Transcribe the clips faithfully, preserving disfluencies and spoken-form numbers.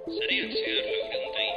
Sariak zehar laureuntai.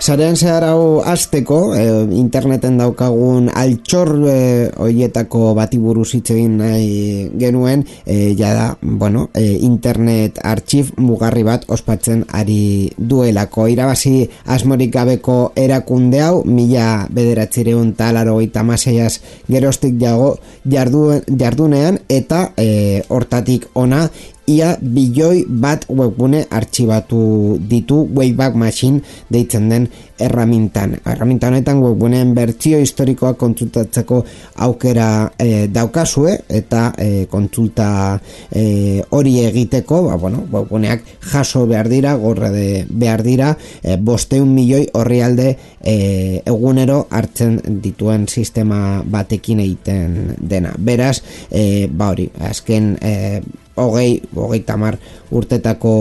Sarean zehar hau azteko, e, interneten daukagun altxor e, hoietako bati buruz hitz egin nahi genuen, e, jada, bueno, e, internet artxiv mugarri bat ospatzen ari duelako. Irabazi asmorik gabeko erakunde hau, mila bederatzireun talaro eta maseiaz gerostik jago jardu, jardunean, eta e, hortatik ona, ia bilioi bat webgune artxibatu ditu Wayback Machine deitzen den erramintan. Erraminta honetan webguneen bertsio historikoa kontsultatzeko aukera e, daukazue eta e, kontsulta e, hori egiteko, ba, bueno, webguneak jaso behar dira, gorre de behar dira, e, bosteun milioi orrialde e, egunero hartzen dituen sistema batekin egiten dena. Beraz, e, ba hori, azken e, hogei, hogei tamar urtetako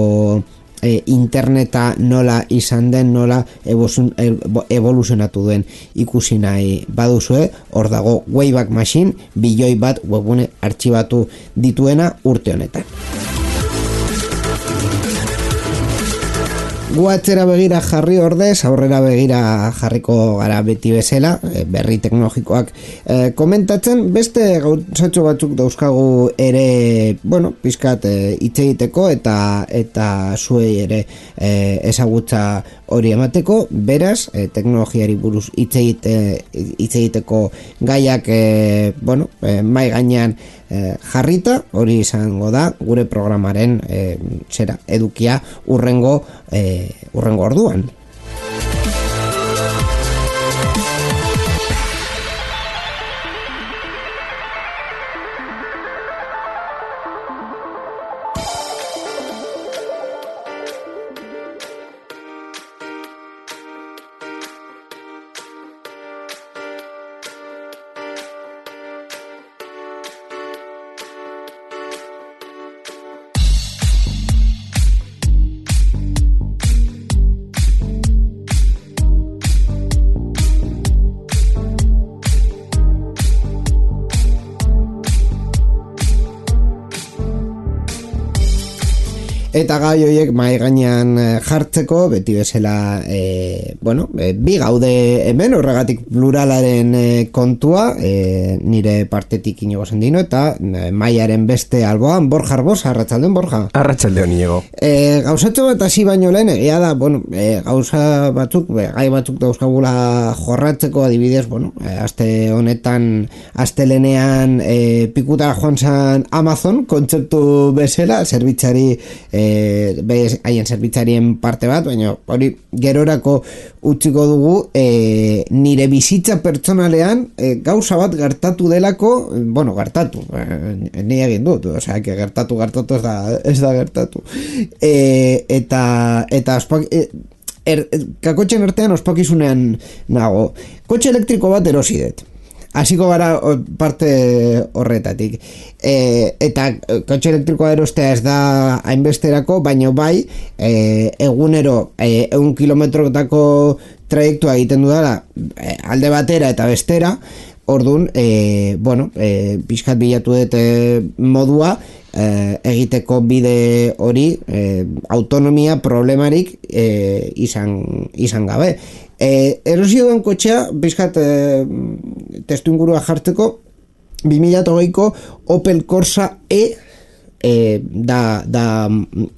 e, interneta nola izan den, nola evoluzionatu duen ikusi nahi baduzue, hor dago Wayback Machine, bilioi bat webgune artxibatu dituena urte honetan. Gu atzera begira jarri ordez, aurrera begira jarriko gara beti bezala, berri teknologikoak e, komentatzen, beste gauzatxo batzuk dauzkagu ere, bueno, pizkat hitz egiteko eta eta zuei ere e, ezagutza hori emateko, beraz, e, teknologiari buruz hitz egite, hitz egiteko gaiak e, bueno, e, mai gainean e, jarrita, hori izango da gure programaren e, zera, edukia urrengo e, urrengo orduan. Eta gai horiek mahai gainean jartzeko, beti bezala, e, bueno, e, bi gaude hemen, horregatik pluralaren e, kontua, e, nire partetik Inigo Sendino, eta e, maiaren beste alboan, Borja Arbos, arratsaldeon Borja. Arratsaldeon Inigo. E, gauzatxo bat hasi baino lehen, egia da, bueno, e, gauza batzuk, e, gai batzuk dauzkagula jorratzeko, adibidez, bueno, e, aste honetan, astelenean e, pikutara joan zan Amazon, kontzeptu bezala, zerbitzari e, bez haien zerbitzarien parte bat, baina hori gerorako utziko dugu, e, nire bizitza pertsonalean e, gauza bat gertatu delako, bueno, gertatu, e, ni egin dut, osea, que gertatu, gertatu ez da, ez da gertatu. E, eta, eta ospak, e, er, kakotxen artean ospakizunean nago, kotxe elektriko bat erosi dut. Hasiko gara parte horretatik. E, eta kotxe elektrikoa erostea ez da hainbesterako, baina bai, e, egunero e, egun kilometrotako trajektua egiten dudala e, alde batera eta bestera, orduan, e, bueno, e, pixkat bilatu dut e, modua, e, egiteko bide hori, e, autonomia problemarik e, izan, izan gabe. E, erosio duen kotxea, bizkat e, testu ingurua jartzeko, bi mila hogeiko Opel Corsa E e da, da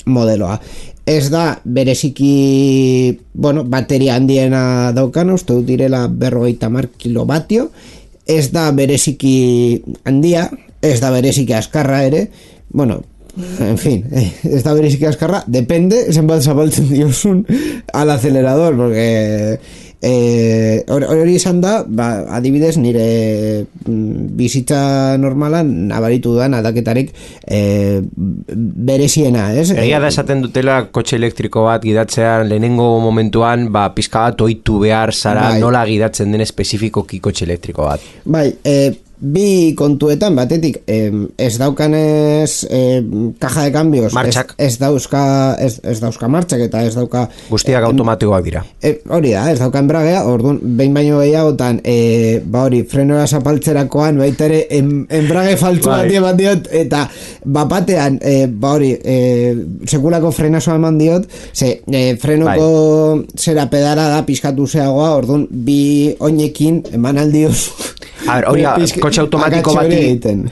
modeloa. Ez da bereziki, bueno, bateria handiena daukana, uste dut direla berrogeita hamar kilovatio, ez da bereziki handia, ez da bereziki askarra ere, bueno, en fin, ez da bereziki askarra, depende, zenbat zabaltzen diozun al acelerador, porque e, hori izan da, ba, adibidez nire bizitza normalan nabaritu duan aldaketarik e, bereziena, ez? Egia da esaten dutela kotxe elektriko bat gidatzean lehenengo momentuan, ba, pizka bat ohitu behar zara bai. Nola gidatzen den espezifikoki kotxe elektriko bat. Bai, e, bi kontuetan batetik eh, ez daukanez eh, caja de cambios martxak. Ez, ez dauzka ez, ez dauzka martxak eta ez dauka guztiak eh, automatikoak dira eh, hori da, ez dauka enbragea, orduan behin baino gehiagotan eh, ba hori, frenora zapaltzerakoan baita ere en, enbrage faltzu bat eman diot eta bapatean eh, ba hori eh, sekulako frenazoa eman diot ze eh, frenoko bai. Zera pedala da pizkatu zeagoa, orduan bi oinekin eman aldioz a ver, hori kotxe automatiko bati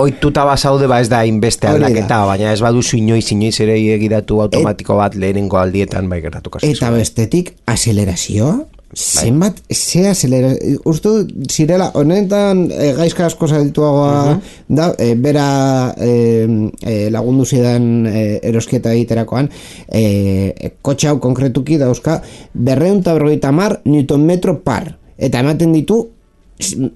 oituta bazaude ba ez da inbeste aldaketa, baina ez baduzu inoiz inoiz ere egidatu automatiko bat lehenengo aldietan bai gertatuko zaizue. Eta bestetik acelerazioa zenbat, ze acelerazioa ustu zirela, honetan e, gaizka asko zadituagoa uh-huh. da, e, bera e, e, lagundu zidan e, erosketa egiterakoan e, kotxe hau konkretuki dauzka berrehun eta berrogeita hamar newton metro par eta ematen ditu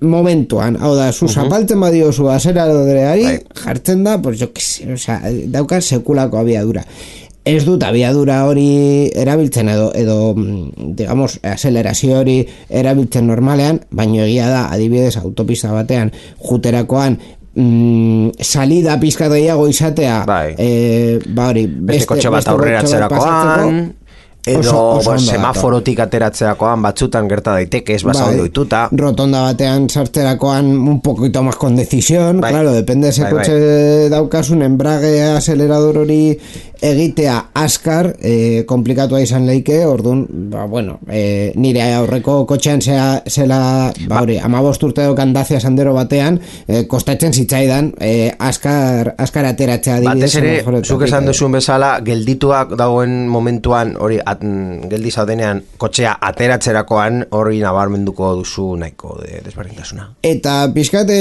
momentuan, hau da, zu zapaltzen uh-huh. badiozu azeradoreari, right. jartzen da, pues jo, o sea, dauka sekulako abiadura. Ez dut abiadura hori erabiltzen edo, edo digamos, acelerazio hori erabiltzen normalean, baino egia da, adibidez, autopista batean, juterakoan, mm, salida pizka gehiago izatea, bai. eh, ba hori, beste, beste kotxe bat aurreratzerakoan, edo oso, oso semaforotik ateratzerakoan batzutan gerta daiteke ez basaude bai, oituta rotonda batean sartzerakoan un poquito más con decisión bai. Claro, depende ese bai, kotxe bai. Daukasun embrague acelerador hori egitea askar eh, komplikatua izan leike, orduan ba, bueno, eh, nire aurreko kotxean zea, zela ba, hori, amabost urte dokan Dacia Sandero batean eh, kostatzen zitzaidan eh, askar, askar ateratzea batez ere, zuk esan duzun bezala geldituak dagoen momentuan hori at, geldi zaudenean kotxea ateratzerakoan hori nabarmenduko duzu nahiko de, desberdintasuna eta pixkate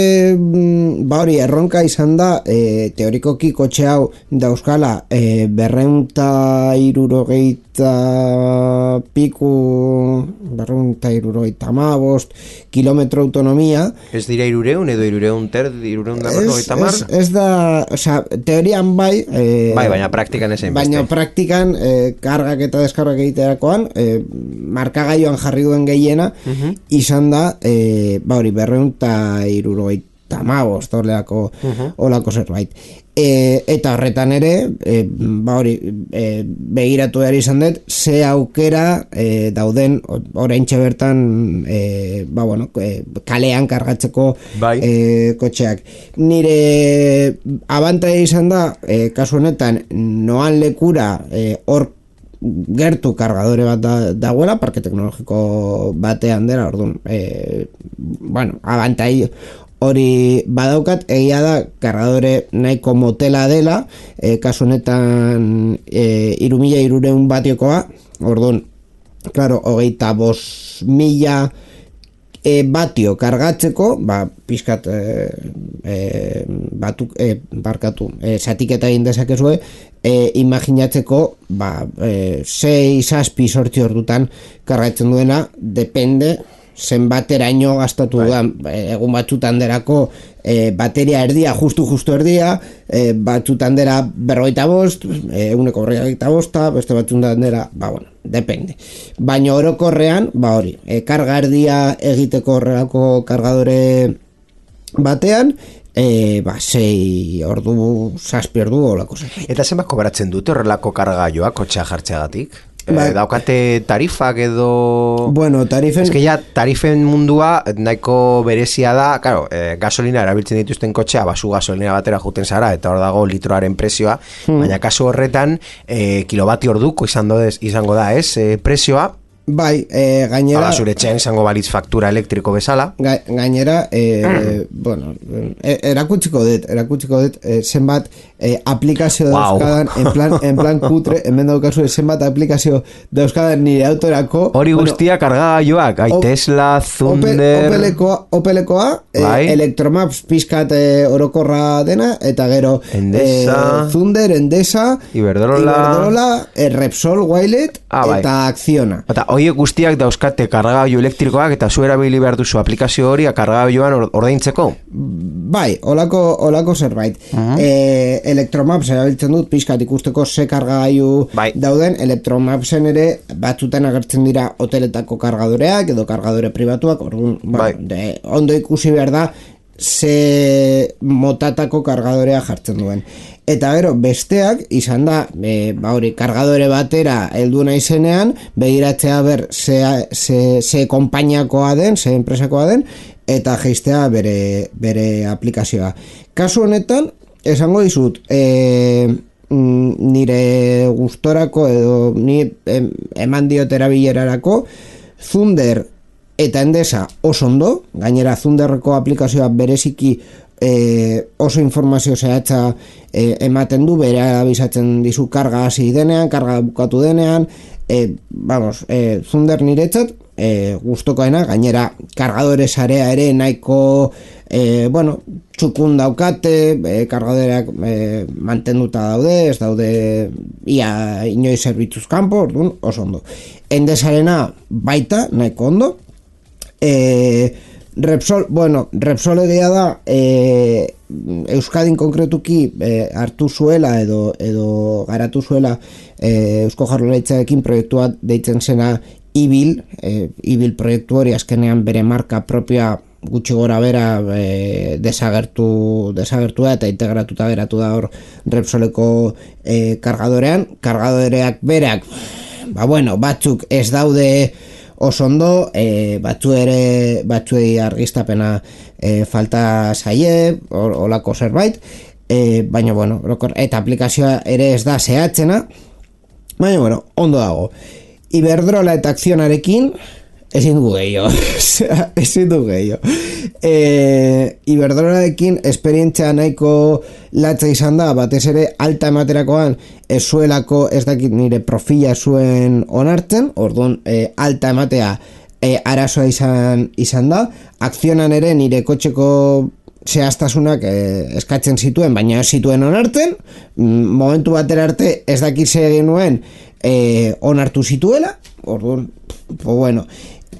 ba hori erronka izan da eh, teorikoki kotxe hau dauzkala eh, berreunta irurogeita piku berreunta irurogeita amabost kilometro autonomia ez dira irureun edo irureun ter irureun da berrogeita mar ez, ez da, oza, teorian bai eh, bai, baina praktikan ezen baina praktikan eh, kargak eta deskargak egiterakoan eh, markagaioan jarri duen gehiena uh-huh. izan da eh, ba hori berreunta irurogeita amabost olako, uh-huh. olako zerbait E, eta horretan ere e, ba hori e, begiratu behar izan dut ze aukera e, dauden oraintxe bertan e, ba bueno e, kalean kargatzeko bai. e, kotxeak nire abantaia izan da e, kasu honetan noan lekura hor e, gertu kargadore bat da, dagoela parke teknologiko batean dela orduan e, bueno abantaia hori badaukat, egia da kargadore nahiko motela dela e, kasu honetan e, iru mila hiruehun batiokoa orduan, klaro, hogeita bost mila e, batio kargatzeko ba, pizkat e, e, batuk, e, barkatu e, zatiketa egin dezakezue e, imaginatzeko ba, e, sei, zazpi, sortzi ordutan kargatzen duena, depende zenbateraino gastatu da egun batzutan derako e, bateria erdia, justu justu erdia e, batzutan dera berrogeita bost eguneko berrogeita bosta beste batzutan dera, ba bueno, depende baina orokorrean, ba hori e, karga erdia egiteko horrelako kargadore batean e, ba, sei ordu zazpi ordu olako zen. Eta zenbat kobratzen dute horrelako kargaioa kotxea jartzeagatik? Ba, eh, daukate tarifak edo... Bueno, tarifen... Ez que ya tarifen mundua nahiko berezia da, claro, eh, gasolina erabiltzen dituzten kotxea, basu gasolina batera juten zara, eta hor dago litroaren prezioa, hmm. baina kasu horretan, eh, kilobati orduko izango, izango da, ez, eh, prezioa, bai, e, gainera... Hala, zure etxean izango balitz faktura elektriko bezala. Ga, gainera, e, mm. bueno, e, erakutsiko dut, erakutsiko dut, e, zenbat e, aplikazio wow. dauzkadan, en plan, en plan kutre, hemen daukazu, zenbat aplikazio dauzkadan nire autorako. Hori guztia bueno, kargagailuak, ai Tesla, Thunder... Opelekoa, Opelekoa bai. e, Electromaps pizkat e, orokorra dena, eta gero Endesa, e, Thunder, Endesa, Iberdrola, Iberdrola e, Repsol, Wilet, ah, bai. eta Acciona. Eta Oie guztiak dauzkate kargagailu elektrikoak eta zu erabili behar duzu aplikazio hori kargagailuan ordaintzeko? Bai, olako, olako zerbait. Uh-huh. E, Electromaps erabiltzen dut pixkat ikusteko ze kargagailu bai. Dauden. Electromapsen ere batzutan agertzen dira hoteletako kargadoreak edo kargadore pribatuak, orduan, bai. de, ondo ikusi behar da ze motatako kargadorea jartzen duen. Eta gero, besteak, izan da, e, ba hori, kargadore batera heldu naizenean, begiratzea ber, ze, ze, ze konpainiakoa den, ze enpresakoa den, eta jeistea bere, bere aplikazioa. Kasu honetan, esango dizut, e, nire gustorako edo ni em, eman diot erabilerarako, Zunder eta Endesa oso ondo, gainera Zunderreko aplikazioa bereziki e, oso informazio zehatza e, ematen du, bere abisatzen dizu karga hasi denean, karga bukatu denean, e, vamos, e, Zunder niretzat e, gustokoena, gainera kargadore sarea ere nahiko e, bueno, txukun daukate, e, kargadoreak e, mantenduta daude, ez daude ia inoiz zerbitzuz kanpo, orduan oso ondo. Endesarena baita, nahiko ondo. E, Repsol, bueno, Repsol egia da e, Euskadin konkretuki e, hartu zuela edo, edo garatu zuela e, Eusko Jaurlaritzarekin proiektua deitzen zena Ibil, e, Ibil proiektu hori azkenean bere marka propioa gutxi gora bera e, desagertu, desagertu da eta integratuta geratu da hor Repsoleko e, kargadorean, kargadoreak berak, ba bueno, batzuk ez daude oso ondo, e, batzu ere batzuei argiztapena e, falta zaie, olako zerbait, e, baina bueno, eta aplikazioa ere ez da zehatzena, baina bueno, ondo dago. Iberdrola eta Akzionarekin ezin dugu gehiago, ezin dugu gehiago. E, Iberdrolarekin esperientzia nahiko latza izan da, batez ere alta ematerakoan ez zuelako, ez dakit nire profila zuen onartzen, orduan e, alta ematea e, arazoa izan, izan da. Akzionan ere nire kotxeko zehaztasunak e, eskatzen zituen, baina ez zituen onartzen, momentu batera arte ez dakit zer egin nuen e, onartu zituela, orduan, pues bueno.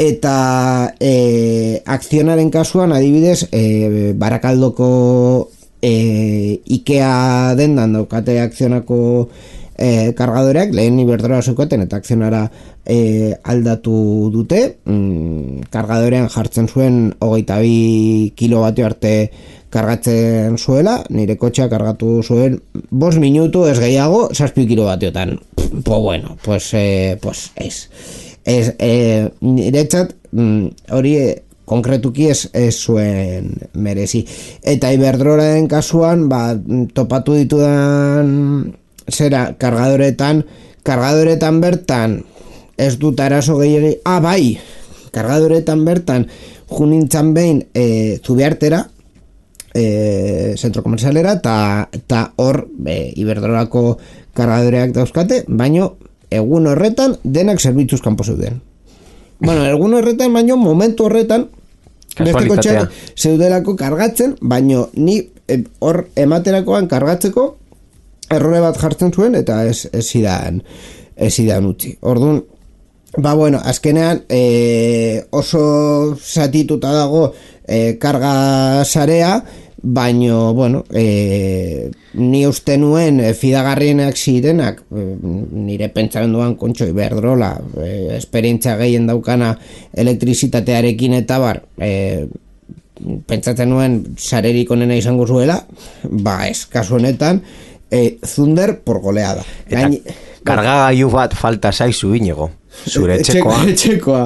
Eta e, Akzionaren kasuan adibidez e, Barakaldoko e, Ikea dendan daukate Akzionako e, kargadoreak, lehen Iberdrola zeukaten eta Akzionara e, aldatu dute, mm, kargadorean jartzen zuen hogeita bi kilovatio arte kargatzen zuela, nire kotxea kargatu zuen bost minutu ez gehiago, zazpi kilovatiotan. Pues bueno, pues, eh, pues ez. Ez, e, niretzat hori mm, konkretuki ez, ez zuen merezi. Eta Iberdrolaren kasuan ba, topatu ditudan zera kargadoretan kargadoretan bertan ez dut arazo gehiagi, ah bai kargadoretan bertan junintzan behin e, Zubiartera e, zentro komerzialera eta hor e, Iberdrolako kargadoreak dauzkate, baino egun horretan denak zerbitzuz kanpo zeuden. Bueno, egun horretan, baino momentu horretan beste kotxeak zeudelako kargatzen, baino ni hor e, ematerakoan kargatzeko errore bat jartzen zuen eta ez ez idan ez idan utzi. Orduan, ba bueno, azkenean e, oso satituta dago e, karga sarea, baino, bueno, e, ni uste nuen e, fidagarrienak zirenak, e, nire pentsamenduan kontxo Iberdrola, e, esperientzia gehien daukana elektrizitatearekin eta bar, e, pentsatzen nuen sarerik onena izango zuela, ba ez, kasu honetan, e, Zunder por goleada. Gain, kargagailu bat falta zaizu Iñigo. Zure etxekoa. Etxekoa,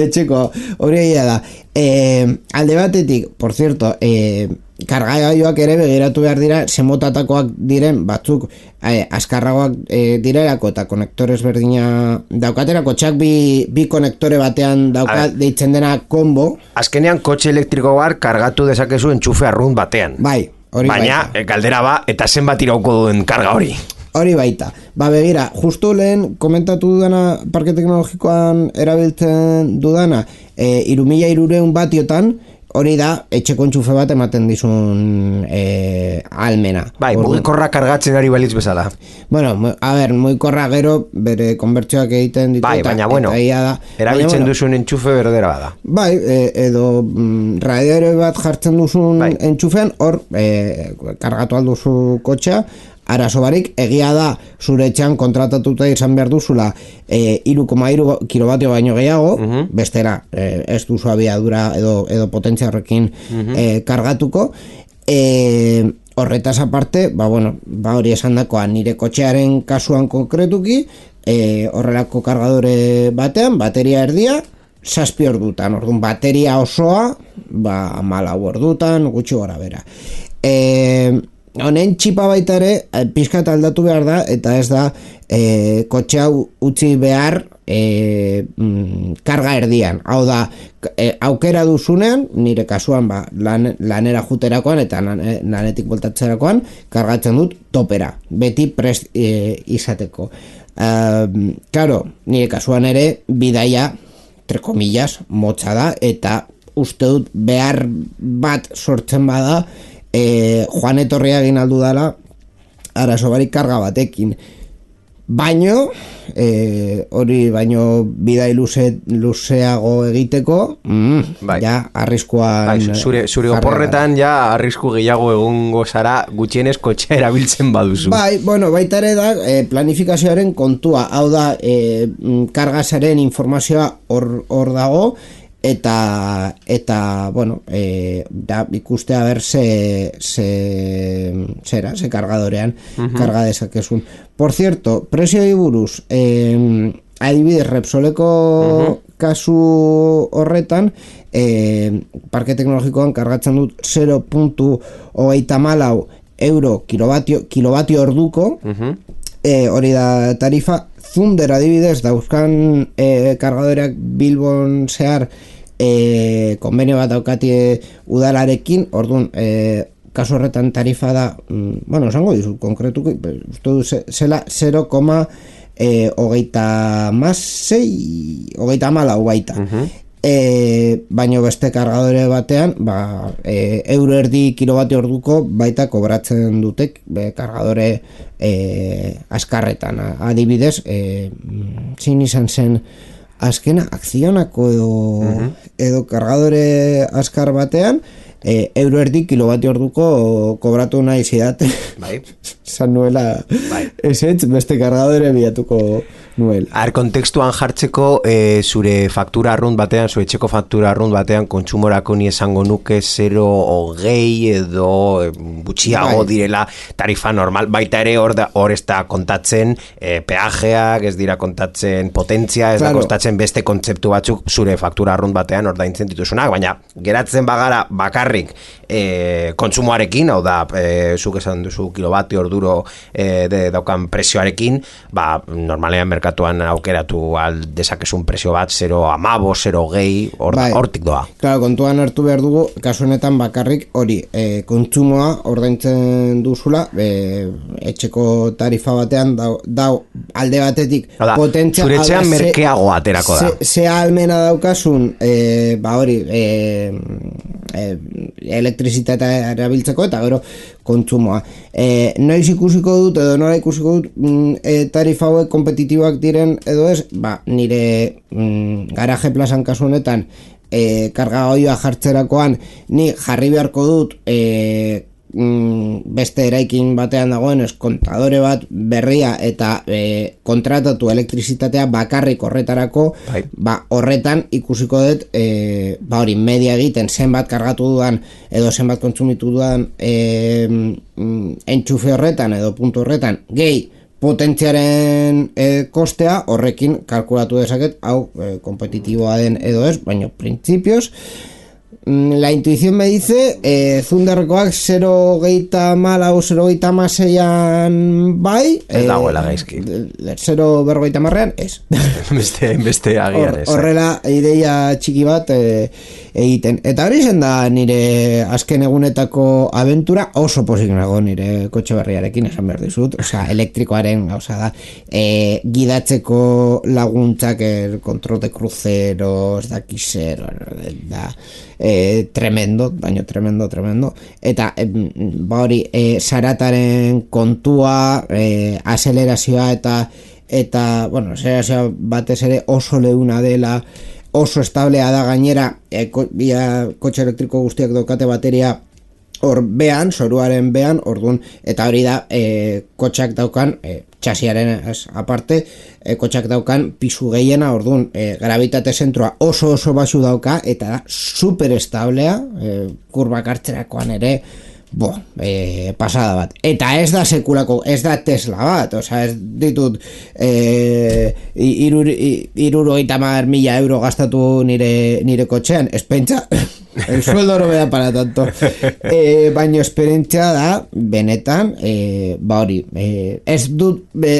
etxekoa, hori egia da. E, alde batetik, por cierto, e, kargagailuak ere begiratu behar dira, semotatakoak diren batzuk e, azkarragoak e, direlako eta konektores berdina daukaterako, txak bi, bi konektore batean daukat deitzen dena combo. Azkenean kotxe elektriko bar kargatu dezakezu entxufe arrunt batean. Bai, hori baina, baita. Galdera ba, eta zenbat irauko duen karga hori. Hori baita. Ba begira, justu lehen komentatu dudana parke teknologikoan erabiltzen dudana, e, irumila irureun batiotan, hori da, etxeko entxufe bat ematen dizun e, almena. Bai, mugikorra kargatzen ari balitz bezala. Bueno, a ber, mugikorra gero bere konbertsioak egiten ditu. Bai, baina bueno, da, erabiltzen bueno, duzun entxufe berdera bada. Bai, e, edo mm, radiadore bat jartzen duzun bai. Entxufean, hor, e, kargatu alduzu kotxea, arazo barik, egia da zure etxean kontratatuta izan behar duzula e, hiru koma hiru kilovatio baino gehiago, uh-huh. bestera e, ez duzu abiadura edo, edo potentzia horrekin uh-huh. e, kargatuko. E, horretaz aparte, ba, bueno, ba hori esan dakoa, nire kotxearen kasuan konkretuki, e, horrelako kargadore batean, bateria erdia, zazpi ordutan, orduan bateria osoa, ba, malau ordutan, gutxi gora bera. E, honen txipa baita ere, pixkat aldatu behar da, eta ez da, e, kotxea utzi behar e, mm, karga erdian. Hau da, e, aukera duzunean, nire kasuan, ba, lan, lanera juterakoan, eta lan, lanetik voltatzerakoan, kargatzen dut topera, beti prest e, izateko. E, claro, nire kasuan ere, bidaia, entre comillas, motza da, eta uste dut behar bat sortzen bada, E, joan etorria egin aldu dala arazo barik karga batekin, baino e, hori baino bidai luze, luzeago egiteko mm, bai. ja arriskuan bai, zure, zure oporretan ja arrisku gehiago egongo zara gutxienez kotxea erabiltzen baduzu. Bai, bueno, baita ere da e, planifikazioaren kontua, hau da e, kargazaren informazioa hor, hor dago, eta eta bueno, eh da ikustea ber se se zera, se kargadorean uh-huh. karga dezakezun. Por cierto, prezioi buruz, eh adibidez Repsoleko uh-huh. kasu horretan, eh parke teknologikoan kargatzen dut zero koma hogeita hamalau euro kilovatio kilovatio orduko. Uh-huh. E, hori da tarifa. Zunder adibidez dauzkan e, kargadoreak Bilbon zehar e, konbenio bat daukatie udalarekin, orduan e, kasu horretan tarifa da mm, bueno, esango dizut konkretuko uste du zela zero koma hogeita hamasei hogeita hamalau baita. Uh-huh. E, baino beste kargadore batean ba, e, euro erdi kilovatio orduko baita kobratzen dutek be, kargadore e, askarretan adibidez e, zin izan zen azkena akzionako edo, uh-huh. edo kargadore askar batean e, euro erdi kilovatio orduko kobratu nahi zidate bai. Zan nuela bai. esetz beste kargadore bilatuko nuel. Ar, kontekstuan jartzeko e, zure faktura arrunt batean, zure etxeko faktura arrunt batean kontsumorako ni esango nuke zero hogei edo e, gutxiago bai. Direla tarifa normal, baita ere hor, da, hor ez da kontatzen e, peajeak, ez dira kontatzen potentzia, ez claro. Da kontatzen beste kontzeptu batzuk zure faktura arrunt batean hor da intzen dituzunak, baina geratzen bagara bakarrik e, kontsumoarekin, hau da e, zuk esan duzu kilovatio orduro e, de, daukan prezioarekin, ba normalean merkatu merkatuan aukeratu al dezakezun prezio bat zero koma hamabost, zero koma hogei hortik bai. Doa. Claro, kontuan hartu behar dugu, kasu honetan bakarrik hori, e, kontsumoa ordaintzen duzula, e, etxeko tarifa batean dau, dau alde batetik da, potentzia zure etxean merkeago aterako da. Ze almena daukasun, e, ba hori, e, e, elektrizitatea erabiltzeko eta gero kontsumoa. E, noiz ikusiko dut edo nola ikusiko dut mm, e, tarifa hauek kompetitiboak diren edo ez, ba, nire mm, garaje plazan kasu honetan e, karga goioa jartzerakoan ni jarri beharko dut e, mm, beste eraikin batean dagoen ez kontadore bat berria eta e, kontratatu elektrizitatea bakarrik horretarako bai. Ba, horretan ikusiko dut e, ba hori media egiten zenbat kargatu dudan edo zenbat kontsumitu dudan e, mm, entxufe horretan edo puntu horretan gehi potentziaren e, kostea horrekin kalkulatu dezaket hau e, kompetitiboa den edo ez, baina printzipioz la intuición me dice eh, Zunderrekoak zero koma hogeita hamalau zero koma hogeita hamaseian bai ez eh, dagoela gaizki zero koma berrogeita hamarrean ez beste, beste agian ez horrela ideia txiki bat eh, egiten. Eta hori zen da nire azken egunetako abentura, oso pozik nago nire kotxe berriarekin, esan behar dizut, osea, elektrikoaren gauza da, e, gidatzeko laguntzak, el control de cruceros, da kisero, da, e, tremendo, baino tremendo, tremendo, eta e, ba hori, e, zarataren kontua, e, azelerazioa eta eta, bueno, azelerazioa batez ere oso leuna dela, oso establea da gainera, e, ko, bia, kotxe elektriko guztiak daukate bateria hor behan, zoruaren behan, orduan, eta hori da, e, kotxak daukan, e, txasiaren ez, aparte, e, kotxak daukan pisu gehiena, orduan, e, gravitate zentroa oso oso basu dauka, eta da, super establea, e, kurbak hartzerakoan ere, bo, e, pasada bat. Eta ez da sekulako, ez da Tesla bat, osea, ez ditut e, irurogeita hamar mila euro gastatu nire, nire kotxean, ez pentsa, el sueldo no me da para tanto, e, baino esperientzia da, benetan, e, ba hori, e, ez dut e,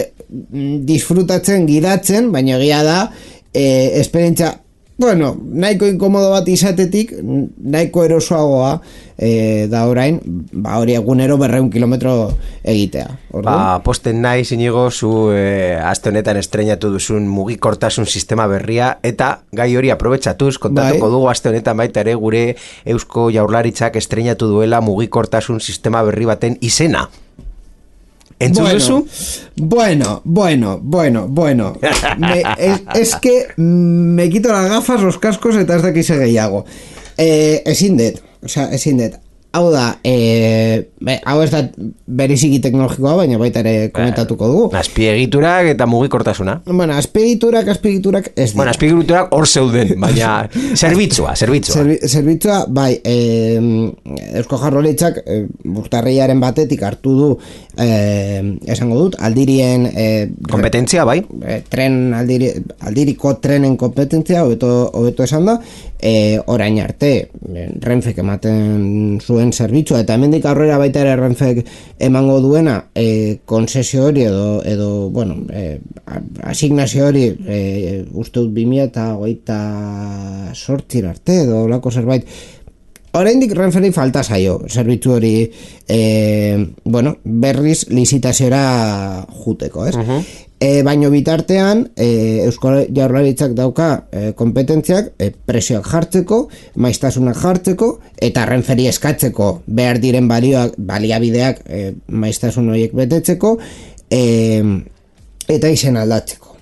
disfrutatzen, gidatzen, baina egia da, e, esperientzia, bueno, nahiko inkomodo bat izatetik, nahiko erosoagoa e, da orain, ba hori egunero berreun kilometro egitea. Ordu? Ba, posten nahi zinigo zu e, aste honetan estreinatu duzun mugikortasun sistema berria, eta gai hori aprobetxatuz, kontatuko bai. Dugu aste honetan baita ere gure Eusko Jaurlaritzak estreinatu duela mugikortasun sistema berri baten izena. ¿Entzun bueno, duzu? Bueno, bueno, bueno, bueno. Me, es, es que me quito las gafas, los cascos eta ez dakize gehiago. Eh, ezin det, o sea, ezin det. Hau da, eh, hau ez da beriziki teknologikoa, baina baita ere komentatuko dugu. Azpiegiturak eta mugikortasuna. Bueno, azpiegiturak, azpiegiturak ez dira. Bueno, azpiegiturak hor zeuden, baina zerbitzua, zerbitzua. Zerbi, zerbitzua, bai, eh, Eusko Jaurlaritzak eh, urtarrilaren batetik hartu du, eh, esango dut, aldirien... Eh, kompetentzia, bai. Eh, tren, aldiri, aldiriko trenen kompetentzia, hobeto, hobeto esan da, eh, orain arte, Renfek ematen zuen zerbitzua, eta hemendik aurrera baita ere Renfek emango duena e, konzesio hori edo, edo bueno, e, asignazio hori e, uste dut bi mila hogeita zortzi arte edo lako zerbait. Oraindik Renferi falta zaio zerbitzu hori e, bueno, berriz lizitaziora juteko, ez? Uh-huh. E, baino bitartean e, Eusko Jaurlaritzak dauka e, kompetentziak e, presioak jartzeko, maiztasunak jartzeko eta Renferi eskatzeko behar diren balioak, baliabideak e, maiztasun horiek betetzeko e, eta izen aldatzeko.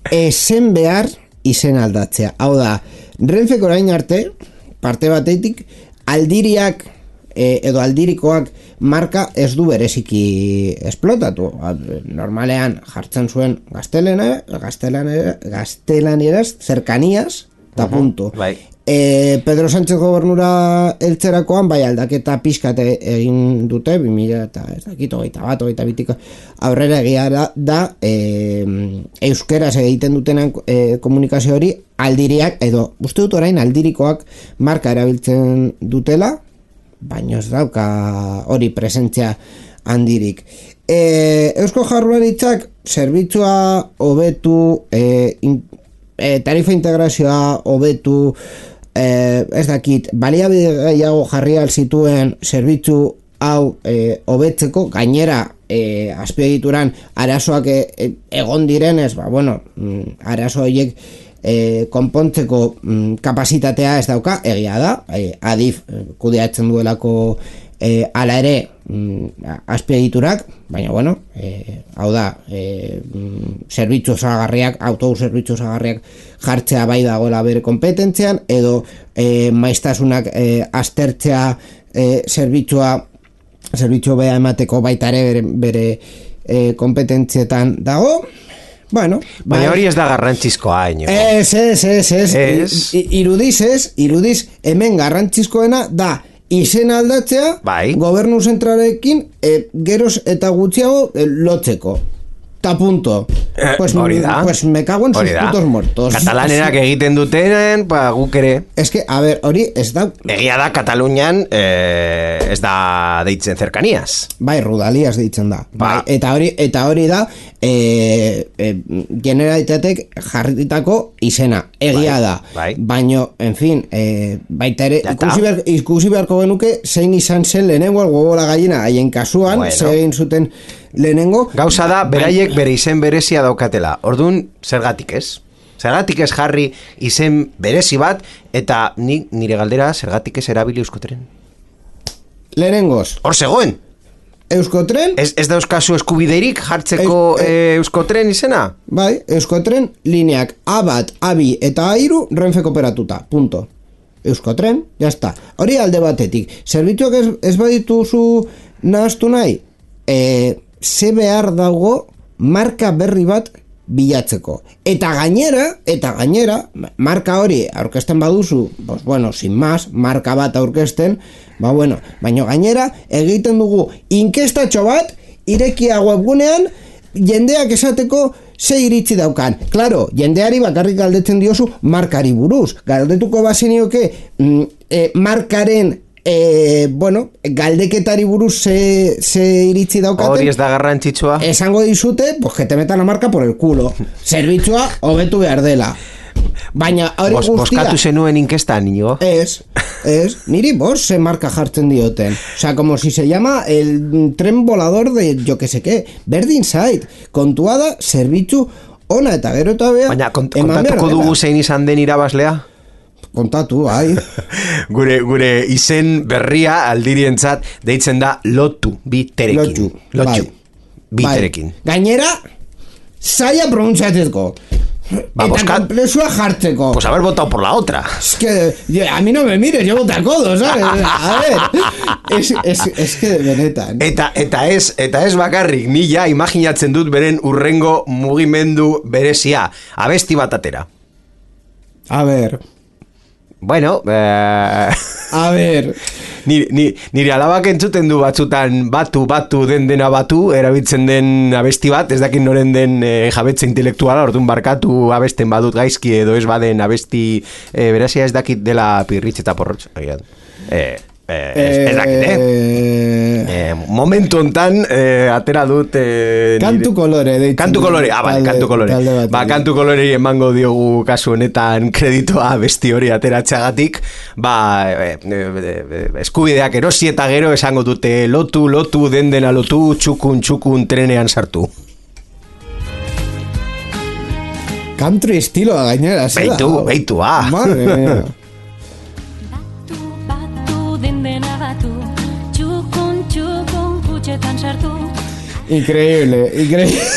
Ezen behar izen aldatzea. Hau da, Renfek orain arte parte batetik aldiriak e, edo aldirikoak marka ez du bereziki esplotatu. Normalean jartzen zuen gaztelena, gaztelana, gaztelanieraz, cercanías, eta punto. Bai. E, Pedro Sánchez gobernura eltzerakoan, bai aldaketa pixkat egin dute, bi mila eta ez dakit, hogeita bat, hogeita bitiko aurrera egia da, e, euskeraz egiten dutenen e, komunikazio hori aldiriak, edo uste dut orain aldirikoak marka erabiltzen dutela, baina ez dauka hori presentzia handirik. E, Eusko Jaurlaritzak zerbitzua hobetu, e, in, e, tarifa integrazioa hobetu, e, ez dakit, baliabide gehiago jarri zituen zerbitzu hau hobetzeko, e, gainera e, azpiegituran arazoak e, e, egon direnez, ba, bueno, arazo horiek E, konpontzeko mm, kapasitatea ez dauka, egia da, e, adif e, kudeatzen duelako e, ala ere mm, azpiegiturak, baina bueno, e, hau da, e, mm, zerbitzu osagarriak, autobus zerbitzu osagarriak jartzea bai dagoela bere kompetentzian, edo e, maiztasunak e, aztertzea e, zerbitzua zerbitzu beha emateko baita ere bere, bere e, kompetentzietan dago. Bueno, baina hori ez da garrantzizkoa haino. Ez, ez, ez, ez, ez. Irudiz, ez, irudiz, hemen garrantzizkoena da izen aldatzea, bai. Gobernu zentralekin e, geroz eta gutxiago e, lotzeko. ta punto. Eh, pues, hori da. pues me cago en sus Hori da. putos muertos. Katalanerak egiten dutenen, ba, guk ere. Es que, a ver, hori ez da... Egia da, Katalunian eh, ez da deitzen zerkaniaz. Bai, Rudalias deitzen da. Ba. Bai, eta hori eta hori da eh, eh, Generalitatek jarritako izena. Egia Bai, da. bai. Baino, en fin, eh, baita ere, Ya ikusi, ta. behar, ikusi beharko genuke zein izan zen lehenengo el huevo la gallina haien kasuan, Bueno. ze egin zuten lehenengo. Gauza da, beraiek bere izen berezia daukatela. Orduan, zergatik ez? Zergatik ez jarri izen berezi bat, eta ni, nire galdera, zergatik ez erabili Euskotren? Lehenengoz, Hor zegoen! Euskotren, Ez, ez dauzkazu eskubideirik jartzeko Ez- eh, Euskotren izena? bai, Euskotren lineak A bat, A bi eta A hiru Renfe kooperatuta, punto. Euskotren, jazta. Hori alde batetik. Zerbitzuak ez, ez badituzu nahaztu nahi, e, ze behar dago marka berri bat bilatzeko. Eta gainera, eta gainera, marka hori aurkezten baduzu, pues bueno, sin más, marka bat aurkezten, ba bueno, baina gainera egiten dugu inkestatxo bat, irekia webgunean, jendeak esateko ze iritzi daukan. Claro, jendeari bakarrik galdetzen diozu markari buruz. Galdetuko bazenioke mm, e, markaren e, bueno, galdeketari buruz ze, ze iritzi daukaten. Hori ez da garrantzitsua. Esango dizute, pues que te metan la marca por el culo. Zerbitzua hobetu behar dela. Baina hori Bos, guztia... Boskatu zenuen inkestan, inigo? Ez, ez, niri bos ze marka jartzen dioten. O sea, como si se llama el tren volador de yo que sé qué. Berdin zait, kontua da, zerbitzu ona eta gero eta bea... Baina kont, eman behar kontatuko dela. dugu zein izan den irabazlea? Kontatu, bai. gure, gure izen berria aldirientzat deitzen da lotu, biterekin. Lotu, Lotu, bai. biterekin. Bai. Gainera, zaila pronuntziatzeko. Ba, eta boskat- komplexua jartzeko. Pues haber votado por la otra. Es que yo- a mí no me mires, yo voto a codo, ¿sabes? A ver, es, es, es que benetan. Eta, eta ez, eta ez bakarrik, ni ja imaginatzen dut beren urrengo mugimendu berezia. Abesti bat atera. A ver, Bueno, eh... a ver. Ni, ni, nire alabak entzuten du batzutan batu, batu, den dena batu, erabiltzen den abesti bat, ez dakit noren den e, jabetze intelektuala, orduan barkatu abesten badut gaizki edo ez baden abesti e, berazia ez dakit dela pirritx eta porrotx. Agian. E, e, ez, ez dakit, eh? E, momentu hontan e, atera dut... E, Kantu nire- kolore, deitzen Kantu dut. kolore, ah, bai, Talde- kantu kolore. talde bati. Ba, kantu kolore emango diogu kasu honetan kreditoa besti hori ateratzeagatik, ba, e, e, e, eskubideak erosi eta gero esango dute lotu, lotu, den dena lotu, txukun, txukun, trenean sartu. Country estiloa gainera, zera. Beitu, beitu, ah. Madre mía. Batu, batu, dendena batu, txukun, txukun, kutxetan sartu. Increíble, increíble.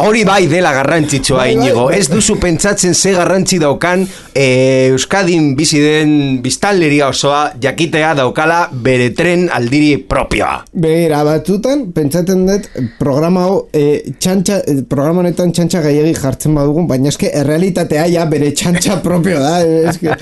Hori bai dela garrantzitsua, Bai, bai, Inigo. bai. Ez duzu pentsatzen ze garrantzi daukan e, Euskadin bizi den biztanleria osoa jakitea daukala bere tren aldiri propioa. Begira, batzutan, pentsatzen dut, programa hau, e, txantxa, e, programa honetan txantxa gehiagi jartzen badugun, baina eske errealitatea ja bere txantxa propio da, eske,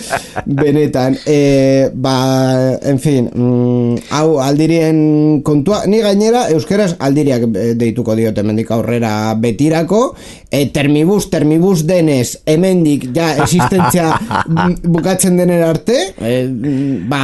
benetan. E, ba, en fin, mm, hau aldirien kontua, ni gainera euskeraz aldiriak e, deituko diote mendik aurrera betirako, e, termibus, termibus denez, hemendik ja existentzia mm, bukatzen denen arte, e, mm, ba,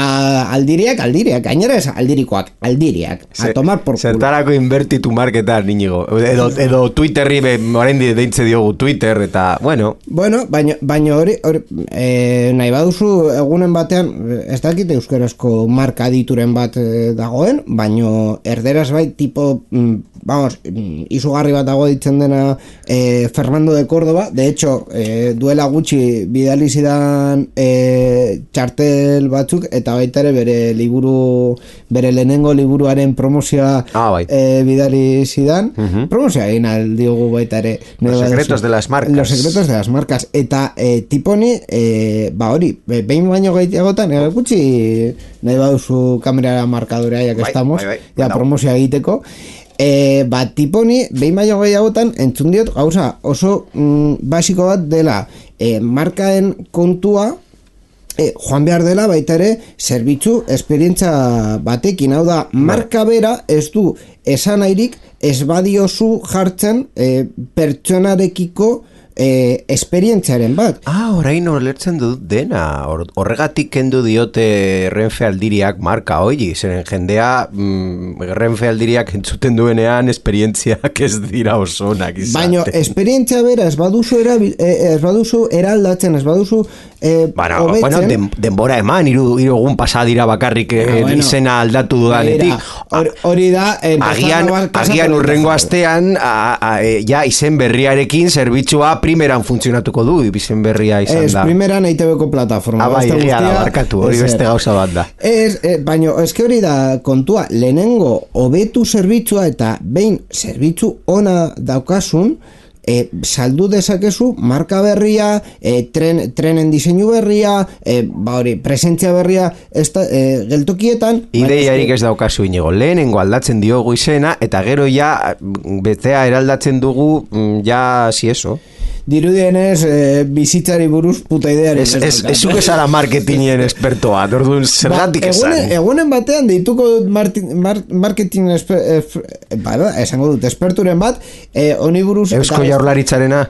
aldiriak, aldiriak, gainera ez aldirikoak, aldiriak, a tomar por culo. Zertarako inbertitu marketan, Inigo. Edo, edo Twitterri, be, orain deintze diogu Twitter, eta, bueno, Bueno, baina baina hori, hori e, nahi baduzu egunen batean, ez dakit euskarazko marka dituren bat e, dagoen, baino erderaz bai tipo, mm, vamos, mm, izugarri bat dago ditzen dena e, Fernando de Córdoba, de hecho, e, duela gutxi bidali zidan e, txartel batzuk, eta baita ere bere liburu, bere lehenengo liburuaren promozioa Ah, bai. e, bidali zidan, Mhm. promozioa egin aldiogu baita ere. Los secretos de las marcas. Los secretos de las marcas. Eta e, tiponi, e, ba hori, be- behin baino gehiagotan, e, gutxi nahi baduzu kamerara markadura, ya que Bai, estamos, bai, bai, ya badau. promozioa egiteko, e, ba tiponi, behin baino gehiagotan, entzun diot, gauza oso mm, basiko bat dela, e, markaen kontua, E, joan behar dela baita ere zerbitzu esperientza batekin, hau da, marka bera ez du esan airik ez badiozu jartzen e, pertsonarekiko e, esperientziaren bat. Ah, orain olertzen dut dena. Horregatik kendu diote Renfe Aldiriak marka hoi, zeren jendea mm, Renfe Aldiriak entzuten duenean esperientziak ez dira osonak izaten. Baina esperientzia bera ez baduzu, erabil, ez baduzu eraldatzen, ez baduzu eh, bueno, hobetzen. bueno, den, denbora eman, hiru hiru egun pasa dira bakarrik eh, Ah, bueno. izena aldatu dudanetik. Hori, hori da eh, Agian, agian urrengo astean a, a, e, ja izen berriarekin zerbitzua primeran funtzionatuko du, izen berria izan Ez, da. primeran E I T B-ko plataforma. Ah, bai, Beste egia da, guztia, barkatu, hori ezer. beste gauza bat da. Ez, eh, baina, eske hori da kontua, lehenengo hobetu zerbitzua eta behin zerbitzu ona daukasun, E, saldu dezakezu marka berria, e, tren, trenen diseinu berria, e, ba hori, presentzia berria esta, e, geltokietan. Ideiarik ez daukazu inigo, lehenengo aldatzen diogu izena, eta gero ja betea eraldatzen dugu, mm, ja, si eso. Dirudienez, e, bizitzari buruz puta ideari. Ez, ez, ez zuke zara marketingien espertoa, orduan zergatik ba, esan. Egunen, egunen batean deituko dut marti, mar, marketing esper, eh, ba, ba, esango dut esperturen bat, e, honi buruz... Eusko eta- Jaurlaritzarena.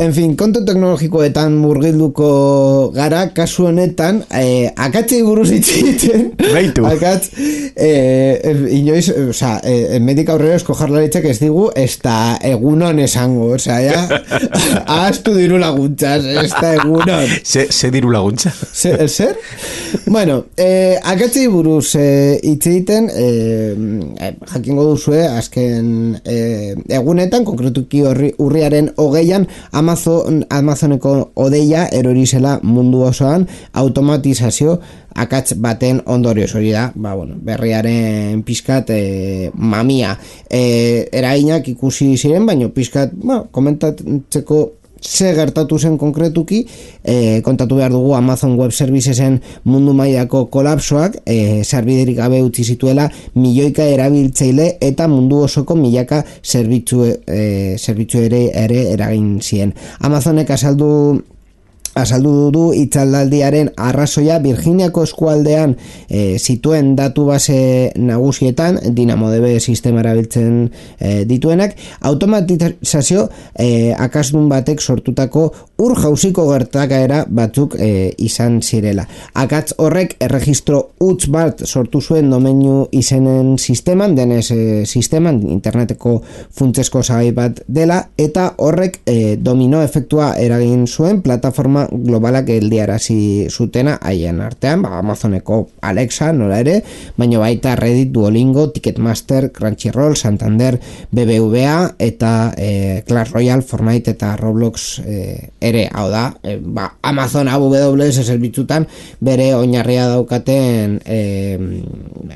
En fin, kontu teknologikoetan murgilduko gara, kasu honetan, eh, akatzei buruz itxiten. Beitu. Akatz, eh, inoiz, oza, eh, medik aurrera Eusko Jaurlaritzak ez digu, ez da egunon esango, oza, ja, ahaztu diru laguntzaz, ez da egunon. Ze, ze diru laguntza? Zer? Zer? Bueno, eh, akatzei buruz eh, hitz egiten, eh, eh, jakingo duzue, azken eh, egunetan, konkretuki horri, urriaren hogeian, Amazon, Amazoneko odeia erori zela mundu osoan automatizazio akats baten ondorioz, hori da, ba, bueno, berriaren pizkat e, mamia e, eraginak ikusi ziren, baina pizkat, ba, komentatzeko ze gertatu zen konkretuki, e, kontatu behar dugu Amazon Web Servicesen mundu mailako kolapsoak e, sarbiderik gabe utzi zituela milioika erabiltzaile eta mundu osoko milaka zerbitzu, e, zerbitzu ere, ere eragin zien. Amazonek azaldu azaldu du itzaldaldiaren arrazoia Virginiako eskualdean e, zituen datu base nagusietan DynamoDB sistema erabiltzen e, dituenak, automatizazio e, akasdun batek sortutako ur jauziko gertakaera batzuk e, izan zirela. Akatz horrek erregistro huts bat sortu zuen domeinu izenen sisteman, denez e, sisteman, interneteko funtsezko osagai bat dela, eta horrek e, domino efektua eragin zuen plataforma globalak geldiarazi zutena haien artean, ba, Amazoneko Alexa nola ere, baina baita Reddit, Duolingo, Ticketmaster, Crunchyroll, Santander, B B V A eta e, Clash Royale, Fortnite eta Roblox e, ere, hau da, e, ba, Amazon A W S zerbitzutan bere oinarria daukaten e,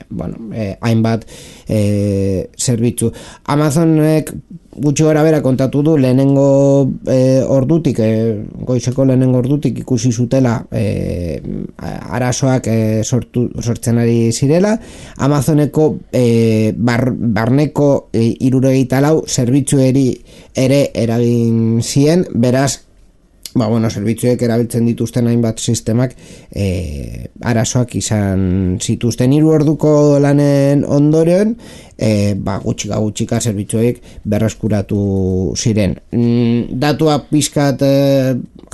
bueno, e, hainbat e, zerbitzu. Amazonek gutxi gara bera kontatu du lehenengo e, ordutik, e, goizeko lehenengo ordutik ikusi zutela e, arazoak e, sortu, sortzen ari zirela. Amazoneko e, bar, barneko e, irurogeita lau zerbitzueri ere eragin zien, beraz, ba, bueno, zerbitzuek erabiltzen dituzten hainbat sistemak e, arazoak izan zituzten. Hiru orduko lanen ondoren, e, ba, gutxika gutxika zerbitzuek berreskuratu ziren. Mm, datuak pizkat e,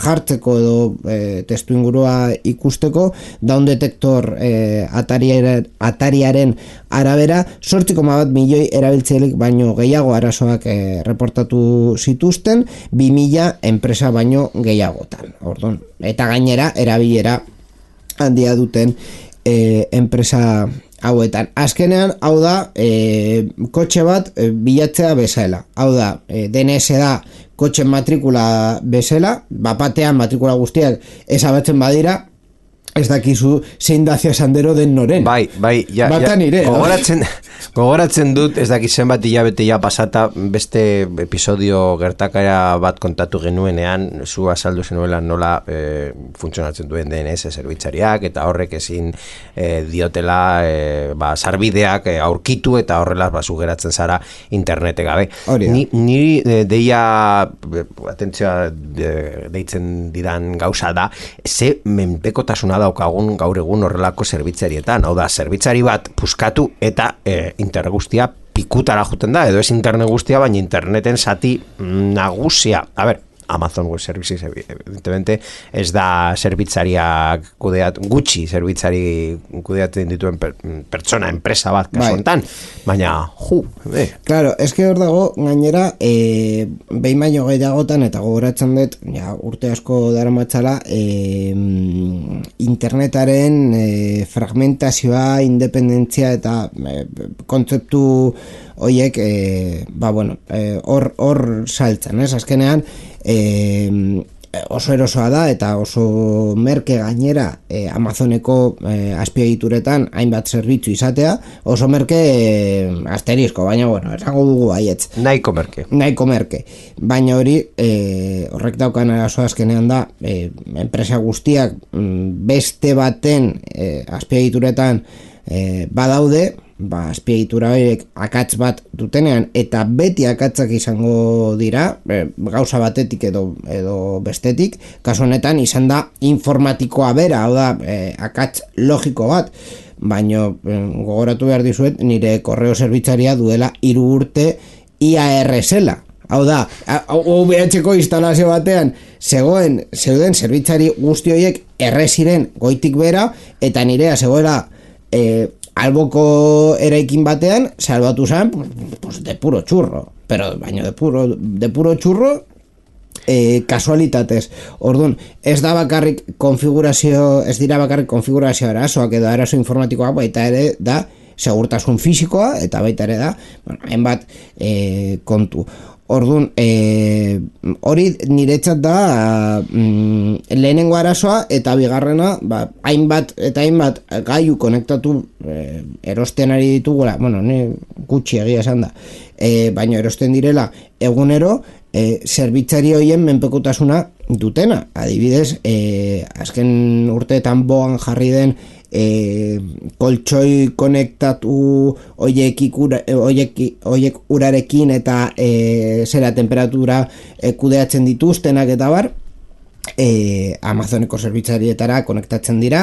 jartzeko edo e, testu ingurua ikusteko, Down Detector e, atariaren, atariaren arabera zortzi koma bat milioi erabiltzaileek baino gehiago arazoak e, reportatu zituzten, bi mila enpresa baino gehiagotan. Orduan, eta gainera erabilera handia duten e, enpresa hauetan. Azkenean, hau da, e, kotxe bat e, bilatzea bezala. Hau da, e, D N S da kotxe matrikula bezala, bapatean matrikula guztiak ezabatzen badira, ez dakizu zein dazia sandero den noren. Bai, bai, ja, Bata ja, nire, gogoratzen, gogoratzen dut, ez dakit zenbat hilabete ja pasata, beste episodio gertakara bat kontatu genuenean, zu azaldu zenuela nola e, funtzionatzen duen D N S zerbitzariak, eta horrek ezin e, diotela e, ba, sarbideak e, aurkitu, eta horrela ba, zu geratzen zara internete gabe. Ni, niri e, deia, e, atentzioa de, deitzen didan gauza da, ze menpekotasuna daukagun gaur egun horrelako zerbitzarietan, hau da, zerbitzari bat puskatu eta e, internet guztia pikutara juten da, edo ez internet guztia, baina interneten zati nagusia. A ber, Amazon Web Services evidentemente ez da zerbitzariak kudeat, gutxi zerbitzari kudeatzen dituen per, pertsona, enpresa bat kasu honetan, baina ju, eh. Claro, es que hor dago gainera e, behin baino gehiagotan eta gogoratzen dut, ja, urte asko daramatzala e, internetaren e, fragmentazioa, independentzia eta e, kontzeptu hoiek e, ba bueno, hor e, hor saltzen, ez? Azkenean E, oso erosoa da eta oso merke gainera e, Amazoneko e, azpiegituretan hainbat zerbitzu izatea, oso merke e, asterisko, baina bueno, esango dugu baietz. Nahiko merke. Nahiko merke. Baina hori e, horrek daukan arazo azkenean da e, enpresa guztiak beste baten e, azpiegituretan e, badaude, ba, azpiegitura horiek akatz bat dutenean eta beti akatzak izango dira e, gauza batetik edo, edo bestetik, kasu honetan izan da informatikoa bera, hau da e, akatz logiko bat, baino e, gogoratu behar dizuet nire korreo zerbitzaria duela hiru urte I A R zela, hau da O V H-ko instalazio batean zegoen, zeuden zerbitzari guzti horiek erreziren goitik bera eta nirea zegoela e, alboko eraikin batean salbatu zen pues, pues de puro churro, pero baino de puro, de puro churro e, kasualitatez. Orduan, ez da bakarrik konfigurazio, ez dira bakarrik konfigurazio arazoak edo arazo informatikoa, baita ere da segurtasun fisikoa eta baita ere da, bueno, hainbat e, kontu. Orduan, e, hori niretzat da mm, lehenengo arazoa eta bigarrena, ba, hainbat eta hainbat gailu konektatu e, erosten ari ditugula, bueno, ne, gutxi egia esan da, e, baina erosten direla egunero e, zerbitzari hoien menpekotasuna dutena. Adibidez, e, azken urteetan bogan jarri den E, koltsoi konektatu oiek, ikura, oiek, oiek urarekin eta e, zera temperatura e, kudeatzen dituztenak eta bar e, Amazoneko zerbitzarietara konektatzen dira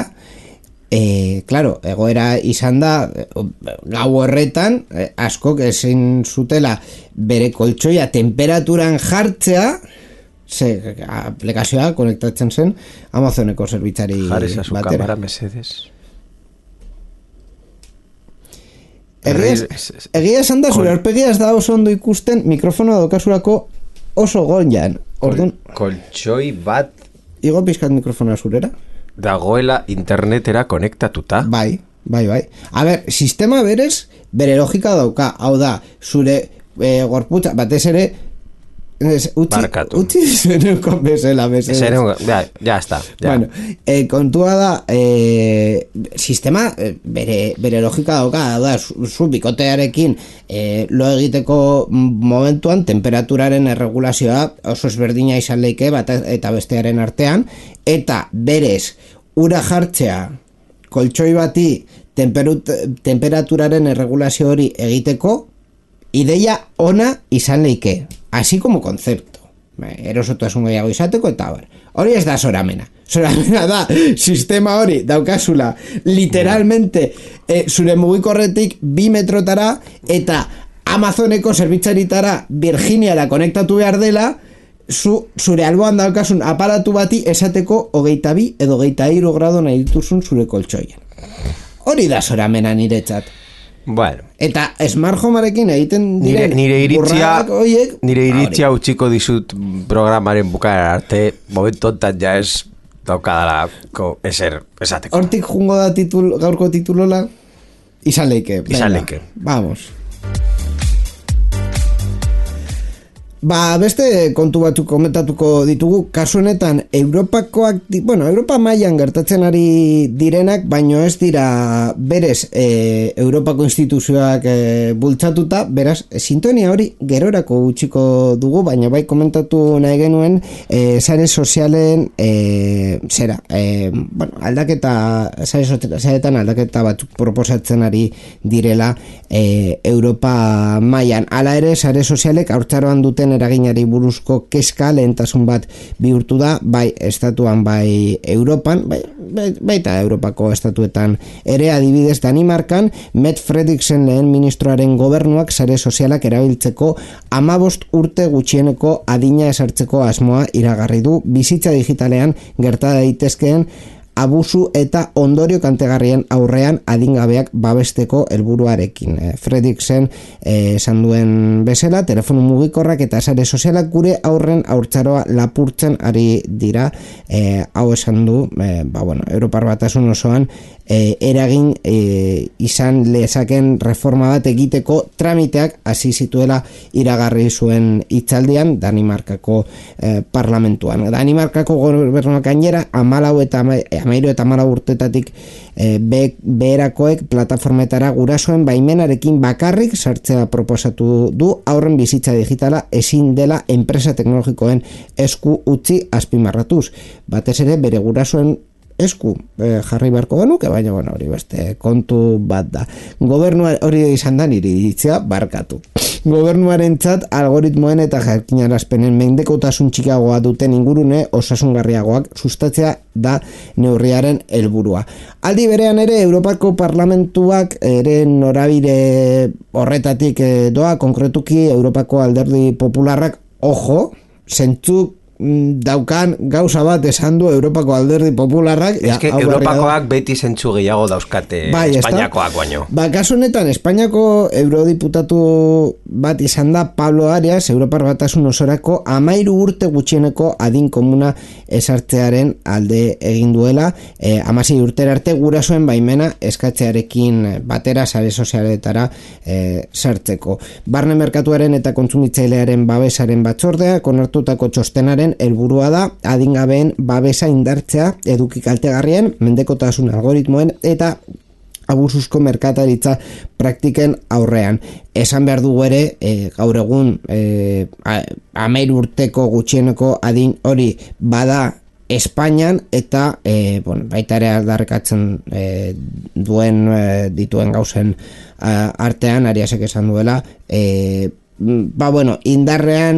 e, claro, egoera izan da gau horretan e, askok ezin zutela bere koltsoia temperaturan jartzea ze aplikazioa konektatzen zen Amazoneko zerbitzari batera. Jarri zazu kamara mesedes. Egia esan da, zure arpegia ez da oso ondo ikusten mikrofonoa daukasurako oso goian. Orduan, koltsoi bat igo pizkat mikrofonoa zurera dagoela internetera konektatuta. Bai, bai, bai. A ber, sistema berez bere logika dauka, hau da, zure e, gorputza, batez ere Es, utzi, utzi zeneuko bezala bezala. Ja, ja está. Ja. Bueno, eh, kontua da eh, sistema eh, bere, bere logika dauka, da, zu, zu bikotearekin eh, lo egiteko momentuan temperaturaren erregulazioa oso ezberdina izan leike bat eta bestearen artean, eta berez ura jartzea koltsoi bati temperut, temperaturaren erregulazio hori egiteko ideia ona izan leike, así como concepto, erosotasun gehiago izateko eta bar. Hori ez da zoramena. Zoramena da sistema hori daukazula literalmente e, zure mugikorretik bi metrotara eta Amazoneko zerbitzaritara Virginiara konektatu behar dela, zu, zure alboan daukasun aparatu bati esateko hogeita bi edo hogeita hiru grado nahi dituzun zure koltsoien. Hori da zoramena niretzat. Bueno. Eta Smart Homearekin egiten diren nire, nire iritzia, oiek, nire iritzia utziko dizut programaren bukaera arte, momentontan ja ez daukadalako eser esateko. Hortik jungo da titul, gaurko titulola izan leike. Izan leike. Vamos. Ba, beste kontu batzuk komentatuko ditugu, kasu honetan Europakoak, bueno, Europa mailan gertatzen ari direnak, baino ez dira berez e, Europako instituzioak e, bultzatuta, beraz, sintonia hori gerorako utziko dugu, baina bai komentatu nahi genuen e, sare sozialen e, zera, e, bueno, aldaketa, sare sozialetan aldaketa batzuk proposatzen ari direla e, Europa mailan. Hala ere, sare sozialek haurtzaroan duten eraginari buruzko kezka lehentasun bat bihurtu da, bai estatuan bai Europan, bai, bai, baita Europako estatuetan ere, adibidez Danimarkan, Mette Frederiksen lehen ministroaren gobernuak sare sozialak erabiltzeko hamabost urte gutxieneko adina esartzeko asmoa iragarri du, bizitza digitalean gerta daitezkeen abusu eta ondorio kantegarrien aurrean adingabeak babesteko helburuarekin. E, Frederiksen esan duen bezala, telefonu mugikorrak eta sare sozialak gure aurren haurtzaroa lapurtzen ari dira, e, hau esan du, e, ba, bueno, Europar Batasun osoan e, eragin e, izan lezaken reforma bat egiteko tramiteak hasi zituela iragarri zuen hitzaldian Danimarkako e, parlamentuan. Danimarkako gobernuak gainera hamalau eta amairu eta hamar urtetatik e, be, beherakoek plataformetara gurasoen baimenarekin bakarrik sartzea proposatu du, aurren bizitza digitala ezin dela enpresa teknologikoen esku utzi azpimarratuz. Batez ere bere gurasoen esku eh, jarri beharko genuke, baina bueno, hori beste kontu bat da. Gobernua hori izan da niri ditzea barkatu. Gobernuarentzat algoritmoen eta jakinarazpenen mendekotasun txikiagoa duten ingurune osasungarriagoak sustatzea da neurriaren helburua. Aldi berean ere Europako Parlamentuak ere norabide horretatik doa, konkretuki Europako Alderdi Popularrak, ojo, zentzuk daukan gauza bat esan du Europako Alderdi Popularrak. Ez que Europakoak beti zentzu gehiago dauzkate bai, Espainiakoak baino. Ba, kasu honetan, Espainiako eurodiputatu bat izan da Pablo Arias, Europar Batasun osorako amairu urte gutxieneko adin komuna esartzearen alde egin duela, e, amasei urtera arte gurasoen baimena eskatzearekin batera sare sozialetara e, sartzeko. Barne merkatuaren eta kontsumitzailearen babesaren batzordea onartutako txostenaren helburua da adingabeen babesa indartzea eduki kaltegarrien, mendekotasun algoritmoen eta abusuzko merkataritza praktiken aurrean. Esan behar dugu ere, e, gaur egun e, amairu urteko gutxieneko adin hori bada Espainian eta e, bueno, baita ere aldarrikatzen e, duen e, dituen gauzen a, artean, Ariasek esan duela, e, ba bueno, indarrean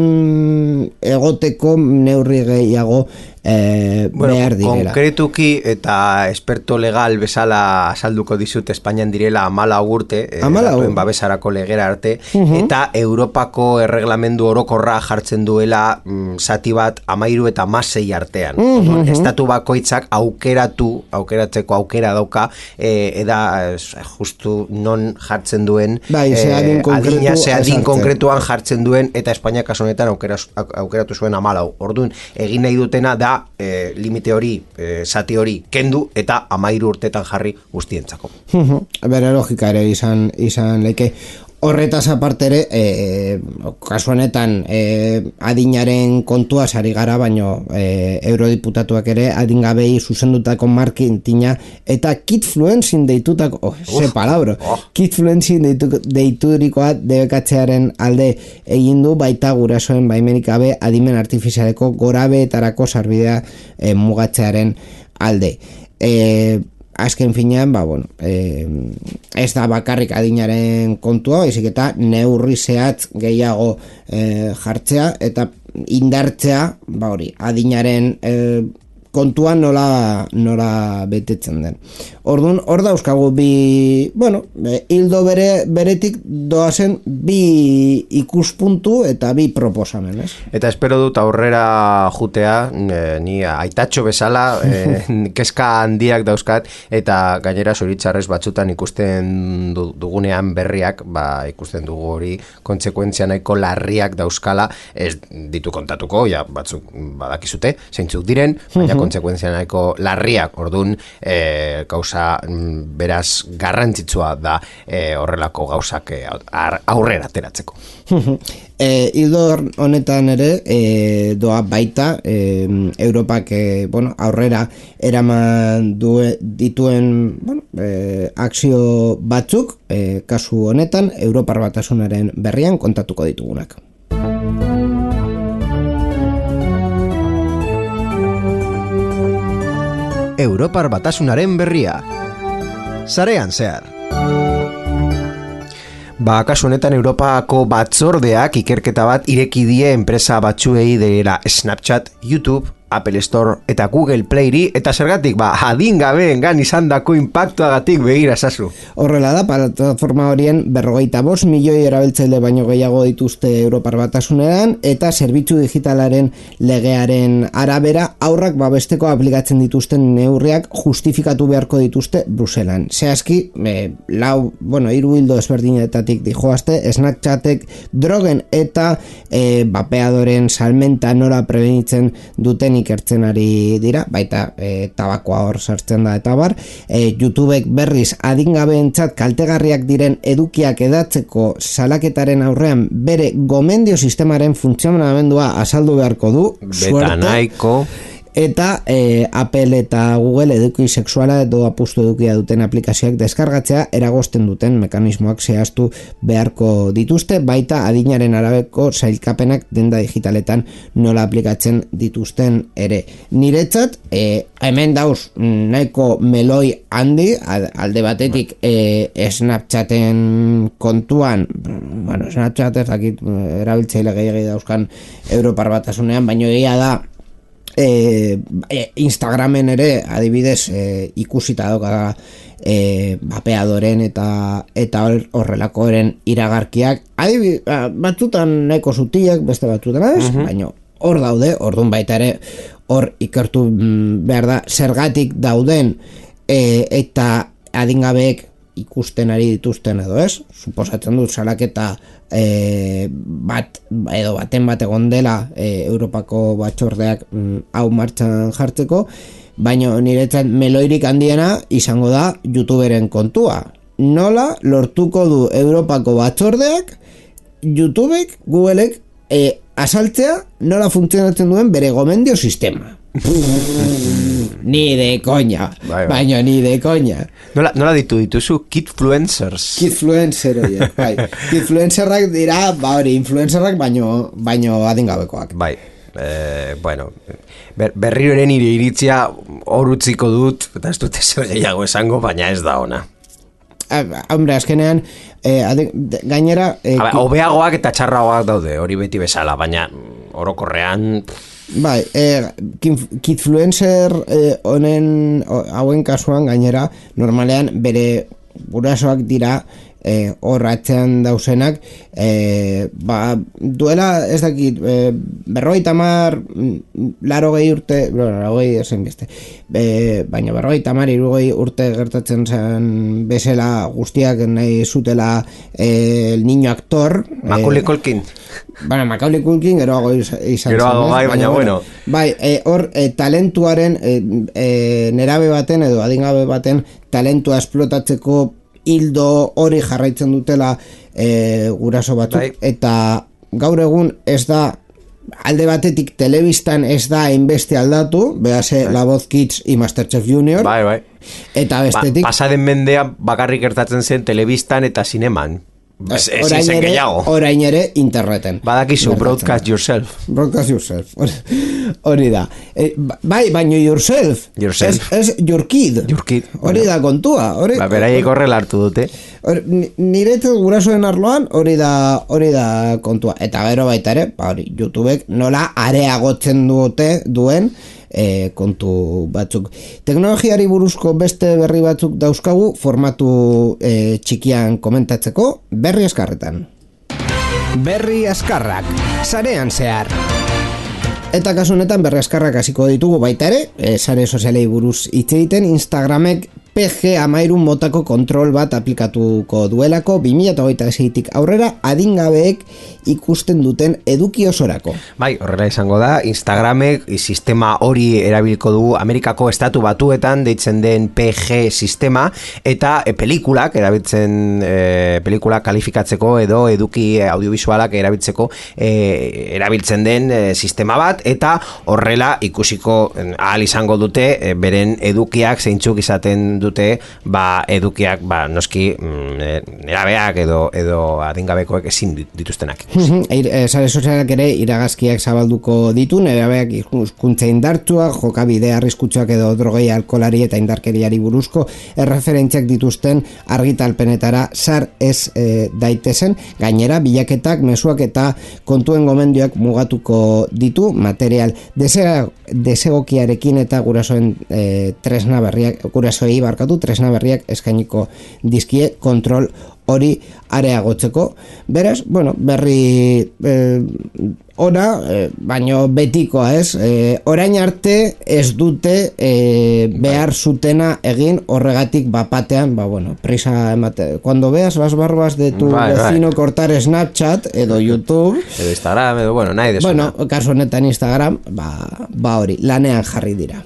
egoteko neurri gehiago eh, bueno, behar direla. Konkretuki eta esperto legal bezala azalduko dizut Espainian direla amala urte, eh, datuen babesarako legera arte, uh-huh. eta Europako erreglamendu orokorra jartzen duela mm, zati bat amairu eta masei artean. Uh-huh. Estatu bakoitzak aukeratu, aukeratzeko aukera dauka, eh, eda justu non jartzen duen bai, eh, adin adina, ze adin konkretu jartzen duen, eta Espainia kasu honetan aukera, aukeratu zuen amalau. Orduan, egin nahi dutena da e, limite hori, e, zati hori kendu eta amairu urtetan jarri guztientzako. Bere logika ere izan, izan leike. Horretaz aparte ere, e, kasu honetan e, adinaren kontua sari gara, baino e, eurodiputatuak ere adingabei zuzendutako marketinga eta kidfluencing deitutako, oh, ze palabra, oh. kidfluencing deitu, deiturikoa debekatzearen alde egin du, baita gurasoen baimenik gabe adimen artifizialeko gorabeetarako sarbidea e, mugatzearen alde. E, Azken finean, ba, bueno, eh, ez da bakarrik adinaren kontua, baizik eta neurri zehatz gehiago eh, jartzea eta indartzea, ba hori, adinaren eh, kontuan nola, nola betetzen den. Orduan, hor dauzkagu bi, bueno, hildo bere, beretik doazen bi ikuspuntu eta bi proposamen, ez? Eta espero dut aurrera jutea, e, ni aitatxo bezala, e, kezka handiak dauzkat, eta gainera zoritzarrez batzutan ikusten dugunean berriak, ba, ikusten dugu hori kontsekuentzia nahiko larriak dauzkala, ez ditu kontatuko, ja, batzuk badakizute, zeintzuk diren, baina konsekuentzia nahiko larriak, orduan e, gauza mm, beraz garrantzitsua da e, horrelako gauzak e, aurrera ateratzeko. E, Ildo honetan ere e, doa baita e, Europak e, bueno, aurrera eraman due, dituen bueno, e, akzio batzuk e, kasu honetan Europar Batasunaren berrian kontatuko ditugunak. Europar Batasunaren berria sarean zehar. Ba, kasu honetan Europako batzordeak ikerketa bat ireki die enpresa batzuei dela Snapchat, YouTube, Apple Store eta Google Playri, eta zergatik, ba, adingabeengan izandako inpaktuagatik begira zazu. Horrela da, plataforma horien berrogeita bost milioi erabiltzaile baino gehiago dituzte Europar Batasunean, eta zerbitzu digitalaren legearen arabera aurrak babesteko aplikatzen dituzten neurriak justifikatu beharko dituzte Bruselan. Zehazki, e, lau, bueno, hiru hildo ezberdinetatik dijoazte, Snapchatek drogen eta e, bapeadoren salmenta nola prebenitzen duten ikertzen ari dira, baita e, tabakoa hor sartzen da eta bar, e, YouTubek berriz adingabeentzat kaltegarriak diren edukiak edatzeko salaketaren aurrean bere gomendio sistemaren funtzionamendua azaldu beharko du, beta nahiko. Eta e, Apple eta Google eduki sexuala edo apustu edukia duten aplikazioak deskargatzea eragosten duten mekanismoak zehaztu beharko dituzte, baita adinaren arabeko sailkapenak denda digitaletan nola aplikatzen dituzten ere. Niretzat, e, hemen dauz nahiko meloi handi, alde batetik e, Snapchaten kontuan, bueno, Snapchat ez dakit erabiltzaile gehiagia dauzkan Europar Batasunean, baino egia da E, Instagramen ere adibidez e, ikusita doka e, bapeadoren eta eta horrelakoren iragarkiak adibidez, batzutan nahiko zutiak, beste batzutan ez, uh-huh. baina hor daude, orduan baita ere hor ikertu behar da zergatik dauden e, eta adingabeek ikusten ari dituzten edo ez, suposatzen dut salaketa e, bat edo baten bat egon dela e, Europako batzordeak mm, hau martxan jartzeko, baina niretzat meloirik handiena izango da YouTuberen kontua. Nola lortuko du Europako batzordeak YouTubek, Googleek e, asaltzea nola funtzionatzen duen bere gomendio sistema. Ni de coña, bai, bai. Baina ni de coña. Nola, nola ditu dituzu kidfluencers. Kidfluencer horiek, bai. Kidfluencerrak dira, ba hori, influencerrak baino, baino adingabekoak. Bai, eh, bueno, ber, berriro ere nire iritzia hor utziko dut, eta ez dut ezer gehiago esango, baina ez da ona. Hombre, azkenean, eh, adin, gainera... Eh, Habe, hobeagoak eta txarragoak daude, hori beti bezala, baina orokorrean... Bai, eh, kidfluencer honen eh, hauen kasuan gainera normalean bere gurasoak dira eh, horratzean dausenak eh, ba, duela ez dakit eh, berrogei tamar laro gehi urte laro gehi esen beste eh, baina berrogei tamar irugei urte gertatzen zen bezala guztiak nahi zutela eh, el niño actor Macaulay Culkin Bueno, Macaulay Culkin geroago izan zen. Geroago bai, baina bueno. Bai, hor e, e, talentuaren e, e, nerabe baten edo adingabe baten talentua esplotatzeko hildo hori jarraitzen dutela e, guraso batzuk. Bai. Eta gaur egun ez da alde batetik telebistan ez da hainbeste aldatu, behase bai. La Voz Kids y Masterchef Junior. Bai, bai. Eta bestetik... Ba, pasaden mendea bakarrik gertatzen zen telebistan eta zineman. Ez, ez orain, ere, orain ere interneten. Badakizu, broadcast yourself. Broadcast yourself. Hori da. E, bai, baino yourself. Yourself. Ez your kid. Your kid. Hori da kontua. Hori, ba, beraiek horrela hartu dute. Niretzat gurasoen arloan hori da hori da kontua. Eta gero baita ere, ba, hori, YouTubek nola areagotzen dute duen E, kontu batzuk. Teknologiari buruzko beste berri batzuk dauzkagu formatu e, txikian komentatzeko berri askarretan. Berri askarrak, sarean zehar. Eta kasu honetan berri askarrak hasiko ditugu baita ere, e, sare sozialei buruz hitz egiten. Instagramek P G hamairun motako kontrol bat aplikatuko duelako bi mila hogeita seitik aurrera adingabeek ikusten duten eduki osorako. Bai, horrela izango da, Instagramek sistema hori erabilko du Amerikako estatu batuetan deitzen den P G sistema, eta e, pelikulak erabiltzen e, pelikulak kalifikatzeko edo eduki audiovisualak erabiltzeko e, erabiltzen den e, sistema bat, eta horrela ikusiko ahal izango dute e, beren edukiak zeintzuk izaten dute, ba edukiak ba noski mm, erabeak edo edo adingabekoek ezin dituztenak. Sare sozialak ere iragazkiak zabalduko ditu, nerabeak hizkuntza indartsua, jokabide arriskutsuak edo drogei, alkolari eta indarkeriari buruzko erreferentziak dituzten argitalpenetara sar ez e, daitezen. Gainera, bilaketak, mezuak eta kontuen gomendioak mugatuko ditu material desegokiarekin eta gurasoen e, tresna berriak, gurasoei barkatu tresna berriak eskainiko dizkie kontrol hori areagotzeko. Beraz, bueno, berri eh, ona, eh, baino betikoa ez, eh, orain arte ez dute eh, behar zutena egin, horregatik bapatean, ba bueno, prisa emate, cuando veas las barbas de tu bai, vecino bai. cortar Snapchat edo YouTube, edo Instagram, edo bueno, nahi desuna. Bueno, kasu honetan Instagram, ba, ba hori, lanean jarri dira.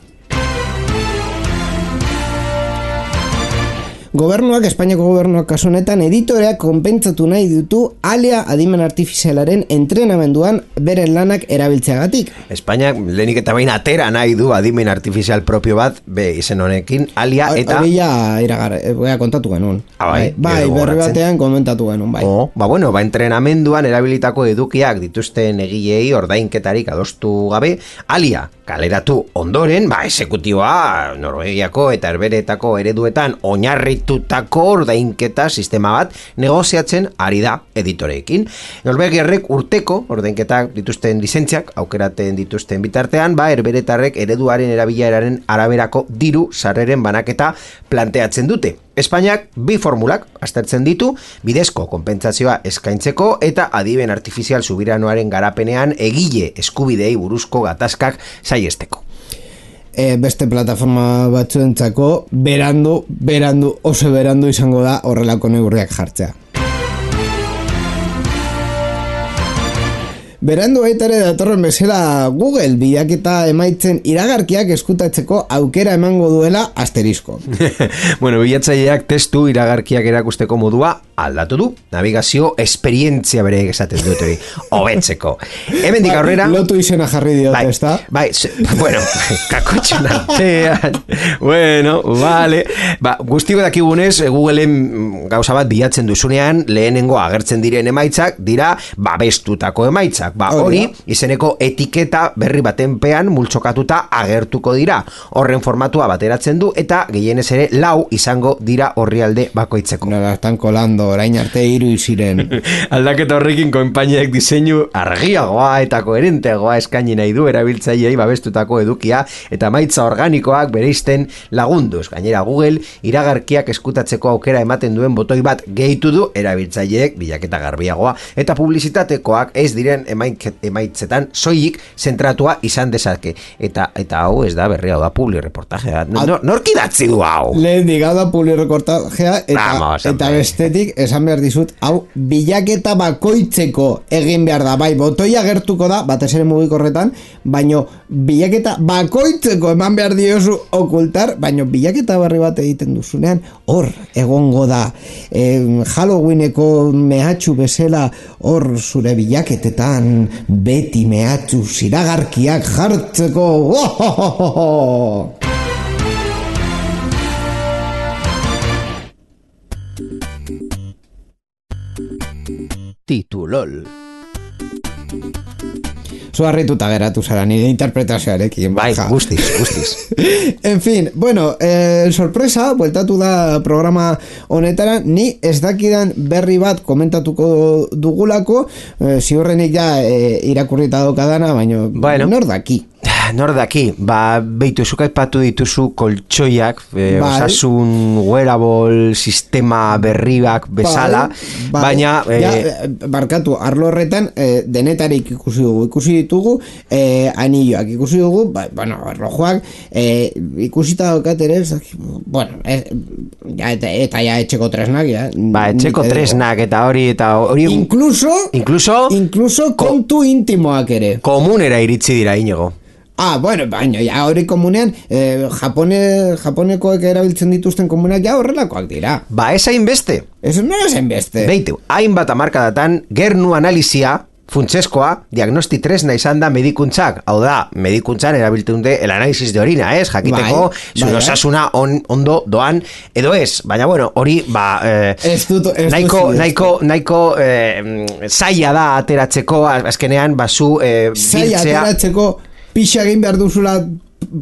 Gobernuak, Espainiako gobernuak kasu honetan editoreak konpentsatu nahi ditu alia adimen artifizialaren entrenamenduan beren lanak erabiltzeagatik. Espainiak lehenik eta bain atera nahi du adimen artifizial propio bat, be izen honekin, alia eta... Hori ja iragar, ea kontatu genuen. Ah, bai, bai, berri batean komentatu genuen, bai. Oh, ba bueno, ba entrenamenduan erabilitako edukiak dituzten egilei ordainketarik adostu gabe, alia kaleratu ondoren, ba esekutiboa Norvegiako eta Herberetako ereduetan oinarritutako ordainketa sistema bat negoziatzen ari da editoreekin. Norvegiarrek urteko ordainketak dituzten lizentziak aukeraten dituzten bitartean, ba Herberetarrek ereduaren erabileraren araberako diru sarreren banaketa planteatzen dute. Espainiak bi formulak aztertzen ditu, bidezko konpentsazioa eskaintzeko eta adiben artifizial subiranoaren garapenean egile eskubidei buruzko gatazkak saiesteko. E, beste plataforma batzuentzako berandu, berandu, oso berandu izango da horrelako neurriak jartzea. Berandu baita ere datorren bezala Google bilaketa emaitzen iragarkiak eskutatzeko aukera emango duela asterisko. Bueno, bilatzaileak testu iragarkiak erakusteko modua aldatu du. Navigazio esperientzia bere esaten dut hori, hobetzeko. Hemendik aurrera... Lotu izena jarri diote, bai, ezta? Bai, se, bueno, kakotxen artean. Bueno, vale. Ba, guztiko dakigunez, Googleen gauza bat bilatzen duzunean, lehenengo agertzen diren emaitzak, dira babestutako emaitzak. Ba, hori, izeneko etiketa berri baten pean multzokatuta agertuko dira. Horren formatua bateratzen du eta gehienez ere lau izango dira orrialde bakoitzeko. Nola, estan kolando, orain arte hiru iziren. Aldaketa horrekin konpainiak diseinu argiagoa eta koherenteagoa eskaini nahi du erabiltzaileei babestutako edukia eta maitza organikoak bereizten lagunduz. Gainera Google iragarkiak eskutatzeko aukera ematen duen botoi bat gehitu du erabiltzaileek bilaketa garbiagoa eta publizitatekoak ez diren emaitzetan soilik zentratua izan dezake. Eta eta hau ez da berria, hau da publi reportajea. No, nork idatzi du hau? Lehen diga da publi reportajea eta, Vamos, eta bestetik esan behar dizut, hau bilaketa bakoitzeko egin behar da. Bai, botoia gertuko da, batez ere mugikorretan, baino bilaketa bakoitzeko eman behar diozu okultar, baino bilaketa berri bat egiten duzunean, hor egongo da. E, Halloweeneko mehatxu bezala hor zure bilaketetan beti mehatxu ziragarkiak jartzeko. Ohohoho! Titulol. Zuarrituta geratu zara nire interpretazioarekin. Bai, guztiz, guztiz. En fin, bueno, eh, sorpresa, bueltatu da programa honetara, ni ez dakidan berri bat komentatuko dugulako, eh, ziurrenik ja eh, irakurrita daukadana, baina bueno. nor daki. Nor daki, ba, beitu, zuk aipatu dituzu koltsoiak, e, Bai. osasun wearable sistema berriak bezala, Bai, baina... bai. Ja, E, barkatu, arlo horretan e, denetarik ikusi dugu, ikusi ditugu e, anilloak, ikusi dugu, ba, bueno, erlojuak, e, ikusita daukat ere, bueno, e, ja, eta, eta ja etxeko tresnak, ja. ba, etxeko Nik- tresnak eta hori, eta hori... Incluso, Incluso... incluso kontu intimoak ere. Komunera iritsi dira, Inigo. Ah, bueno, baina, ja, hori komunean, eh, Japone, Japonekoek erabiltzen dituzten komunak ja horrelakoak dira. Ba, ez hainbeste. Ez nola zen beste. Beitu, hainbat amarkadatan, gernu analizia, funtseskoa, diagnosti tresna izan da medikuntzak. Hau da, medikuntzan erabiltzen dute el análisis de orina, ez? Jakiteko, Bai, zure bai, osasuna on, ondo doan, edo ez. Baina, bueno, hori, ba, eh, Ez dut, ez dut nahiko, sinesten. nahiko, nahiko eh, zaila da ateratzeko, azkenean, basu eh, Zaila biltzea... ateratzeko pixa egin behar duzula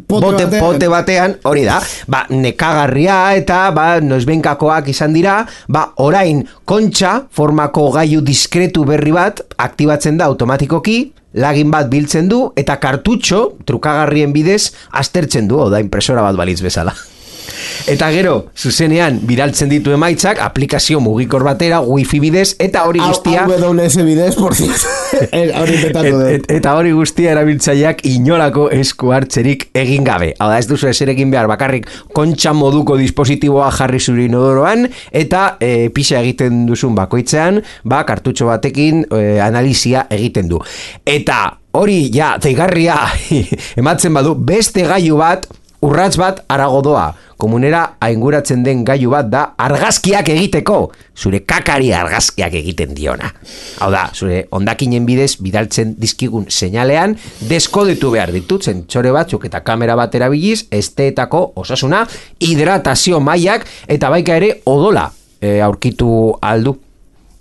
pote, Bote, batean. pote batean, hori da, ba, nekagarria eta, ba, noizbenkakoak izan dira, ba, orain kontxa formako gailu diskretu berri bat aktibatzen da automatikoki, lagin bat biltzen du, eta kartutxo, trukagarrien bidez, aztertzen du, oda, impresora bat balitz bezala. Eta gero, zuzenean, biraltzen ditu emaitzak, aplikazio mugikor batera, wifi bidez, eta hori guztia... A W S bidez, por cierto. Hori petatu Et, dut. et, eta hori guztia erabiltzaileak inolako esku hartzerik egin gabe. Hau da, ez duzu eserekin behar, bakarrik kontxa moduko dispositiboa jarri zure inodoroan, eta e, pixa egiten duzun bakoitzean, ba, kartutxo batekin e, analizia egiten du. Eta hori, ja, zeigarria ematzen badu, beste gailu bat, urrats bat arago doa. Komunera ainguratzen den gailu bat da argazkiak egiteko, zure kakari argazkiak egiten diona. Hau da, zure hondakinen bidez bidaltzen dizkigun seinalean deskodetu behar ditut zentsore batzuk eta kamera bat erabiliz, esteetako osasuna, hidratazio mailak eta baika ere odola e, aurkitu aldu.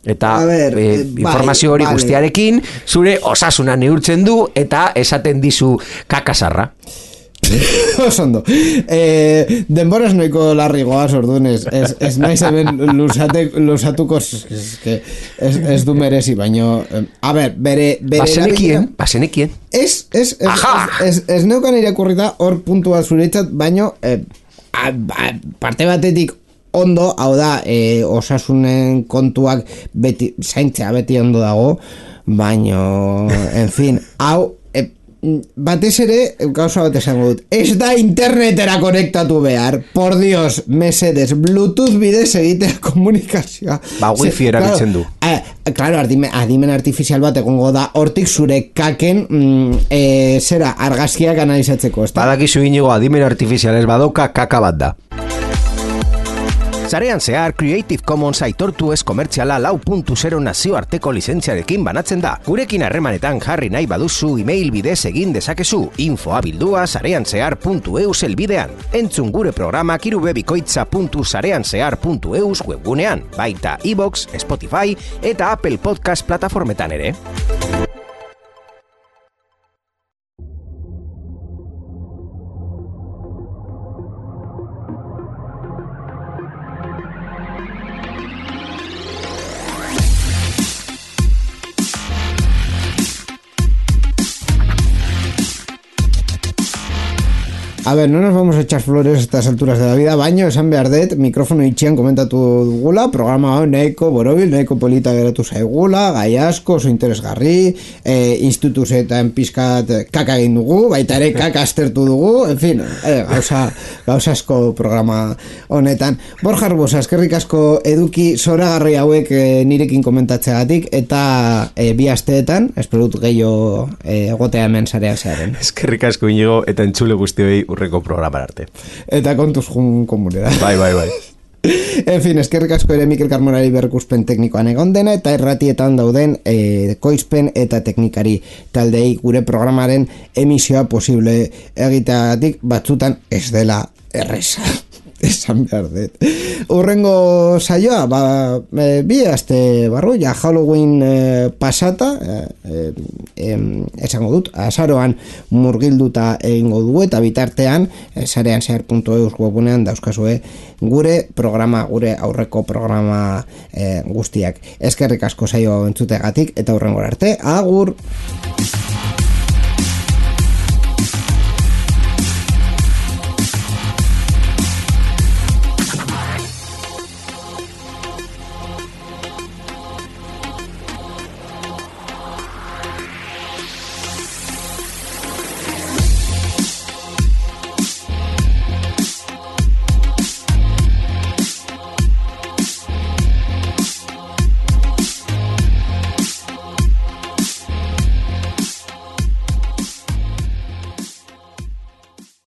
Eta ver, e, eh, informazio hori vale, vale. guztiarekin zure osasuna neurtzen du eta esaten dizu kakasarra. Osondo. Eh, denboraz noiko larri goaz orduan ez, ez, ez naiz hemen lusate, lusatuko ez, ez, ez du merezi, baino eh, a ber, bere, bere Basenekien, erabilera- basenekien. Ez, ez, ez, Aha! ez, ez, ez neukan irakurrita hor puntua zuretzat, baino eh, a, a, parte batetik ondo, hau da, eh, osasunen kontuak beti, zaintzea beti ondo dago, baino, en fin, hau, eh, batez ere, gauza bat esango dut, ez da internetera konektatu behar, por Dios, mesedes, Bluetooth bidez egitea komunikazioa. Ba, wifi erabiltzen du. Eh, claro, adimen, adimen artifizial bat egongo da, hortik zure kaken mm, eh, zera, argazkiak analizatzeko, ez da? Badakizu Inigo, adimen artifizialez badoka kaka bat da. Zarean zehar Creative Commons aitortu ez komertziala lau puntu zero nazioarteko lizentziarekin banatzen da. Gurekin harremanetan jarri nahi baduzu email bidez egin dezakezu, infoa bildua zarean zehar puntu eus elbidean. Entzun gure programak irubebikoitza puntu zarean zehar puntu eus webgunean, baita iVoox, Spotify eta Apple Podcast plataformetan ere. A ver, no nos vamos a echar flores a estas alturas de la vida, baino, esan behar dut, mikrofono itxian komentatu dugula, programa hau nahiko borobil, nahiko polita geratu zaigula, gai asko, oso interesgarri, e, instituzetan pizkat kaka egin dugu, baita ere kaka aztertu dugu, en fin, e, gauza, gauza asko programa honetan. Borja Arbosa, eskerrik asko eduki zoragarri hauek e, nirekin komentatzeagatik, eta e, bi asteetan, espero dut gehiago e, egotea hemen zarean zearen. Eskerrik asko Inigo eta entzule guztioi urreko programar arte. Eta kontuz jun komunera. Bai, bai, bai. En fin, eskerrik asko ere Mikel Carmonari berrikuspen teknikoan egon dena, eta erratietan dauden e, koizpen eta teknikari taldei gure programaren emisioa posible egiteagatik batzutan ez dela erresa. Esan behar dut. Urrengo saioa, ba, e, bi aste barru, ja Halloween e, pasata, e, e, esango dut, azaroan murgilduta egingo dugu, eta bitartean, e, zarean zehar puntu eus webunean dauzkazue gure programa, gure aurreko programa e, guztiak. Eskerrik asko saioa entzutegatik, eta urrengora arte, agur!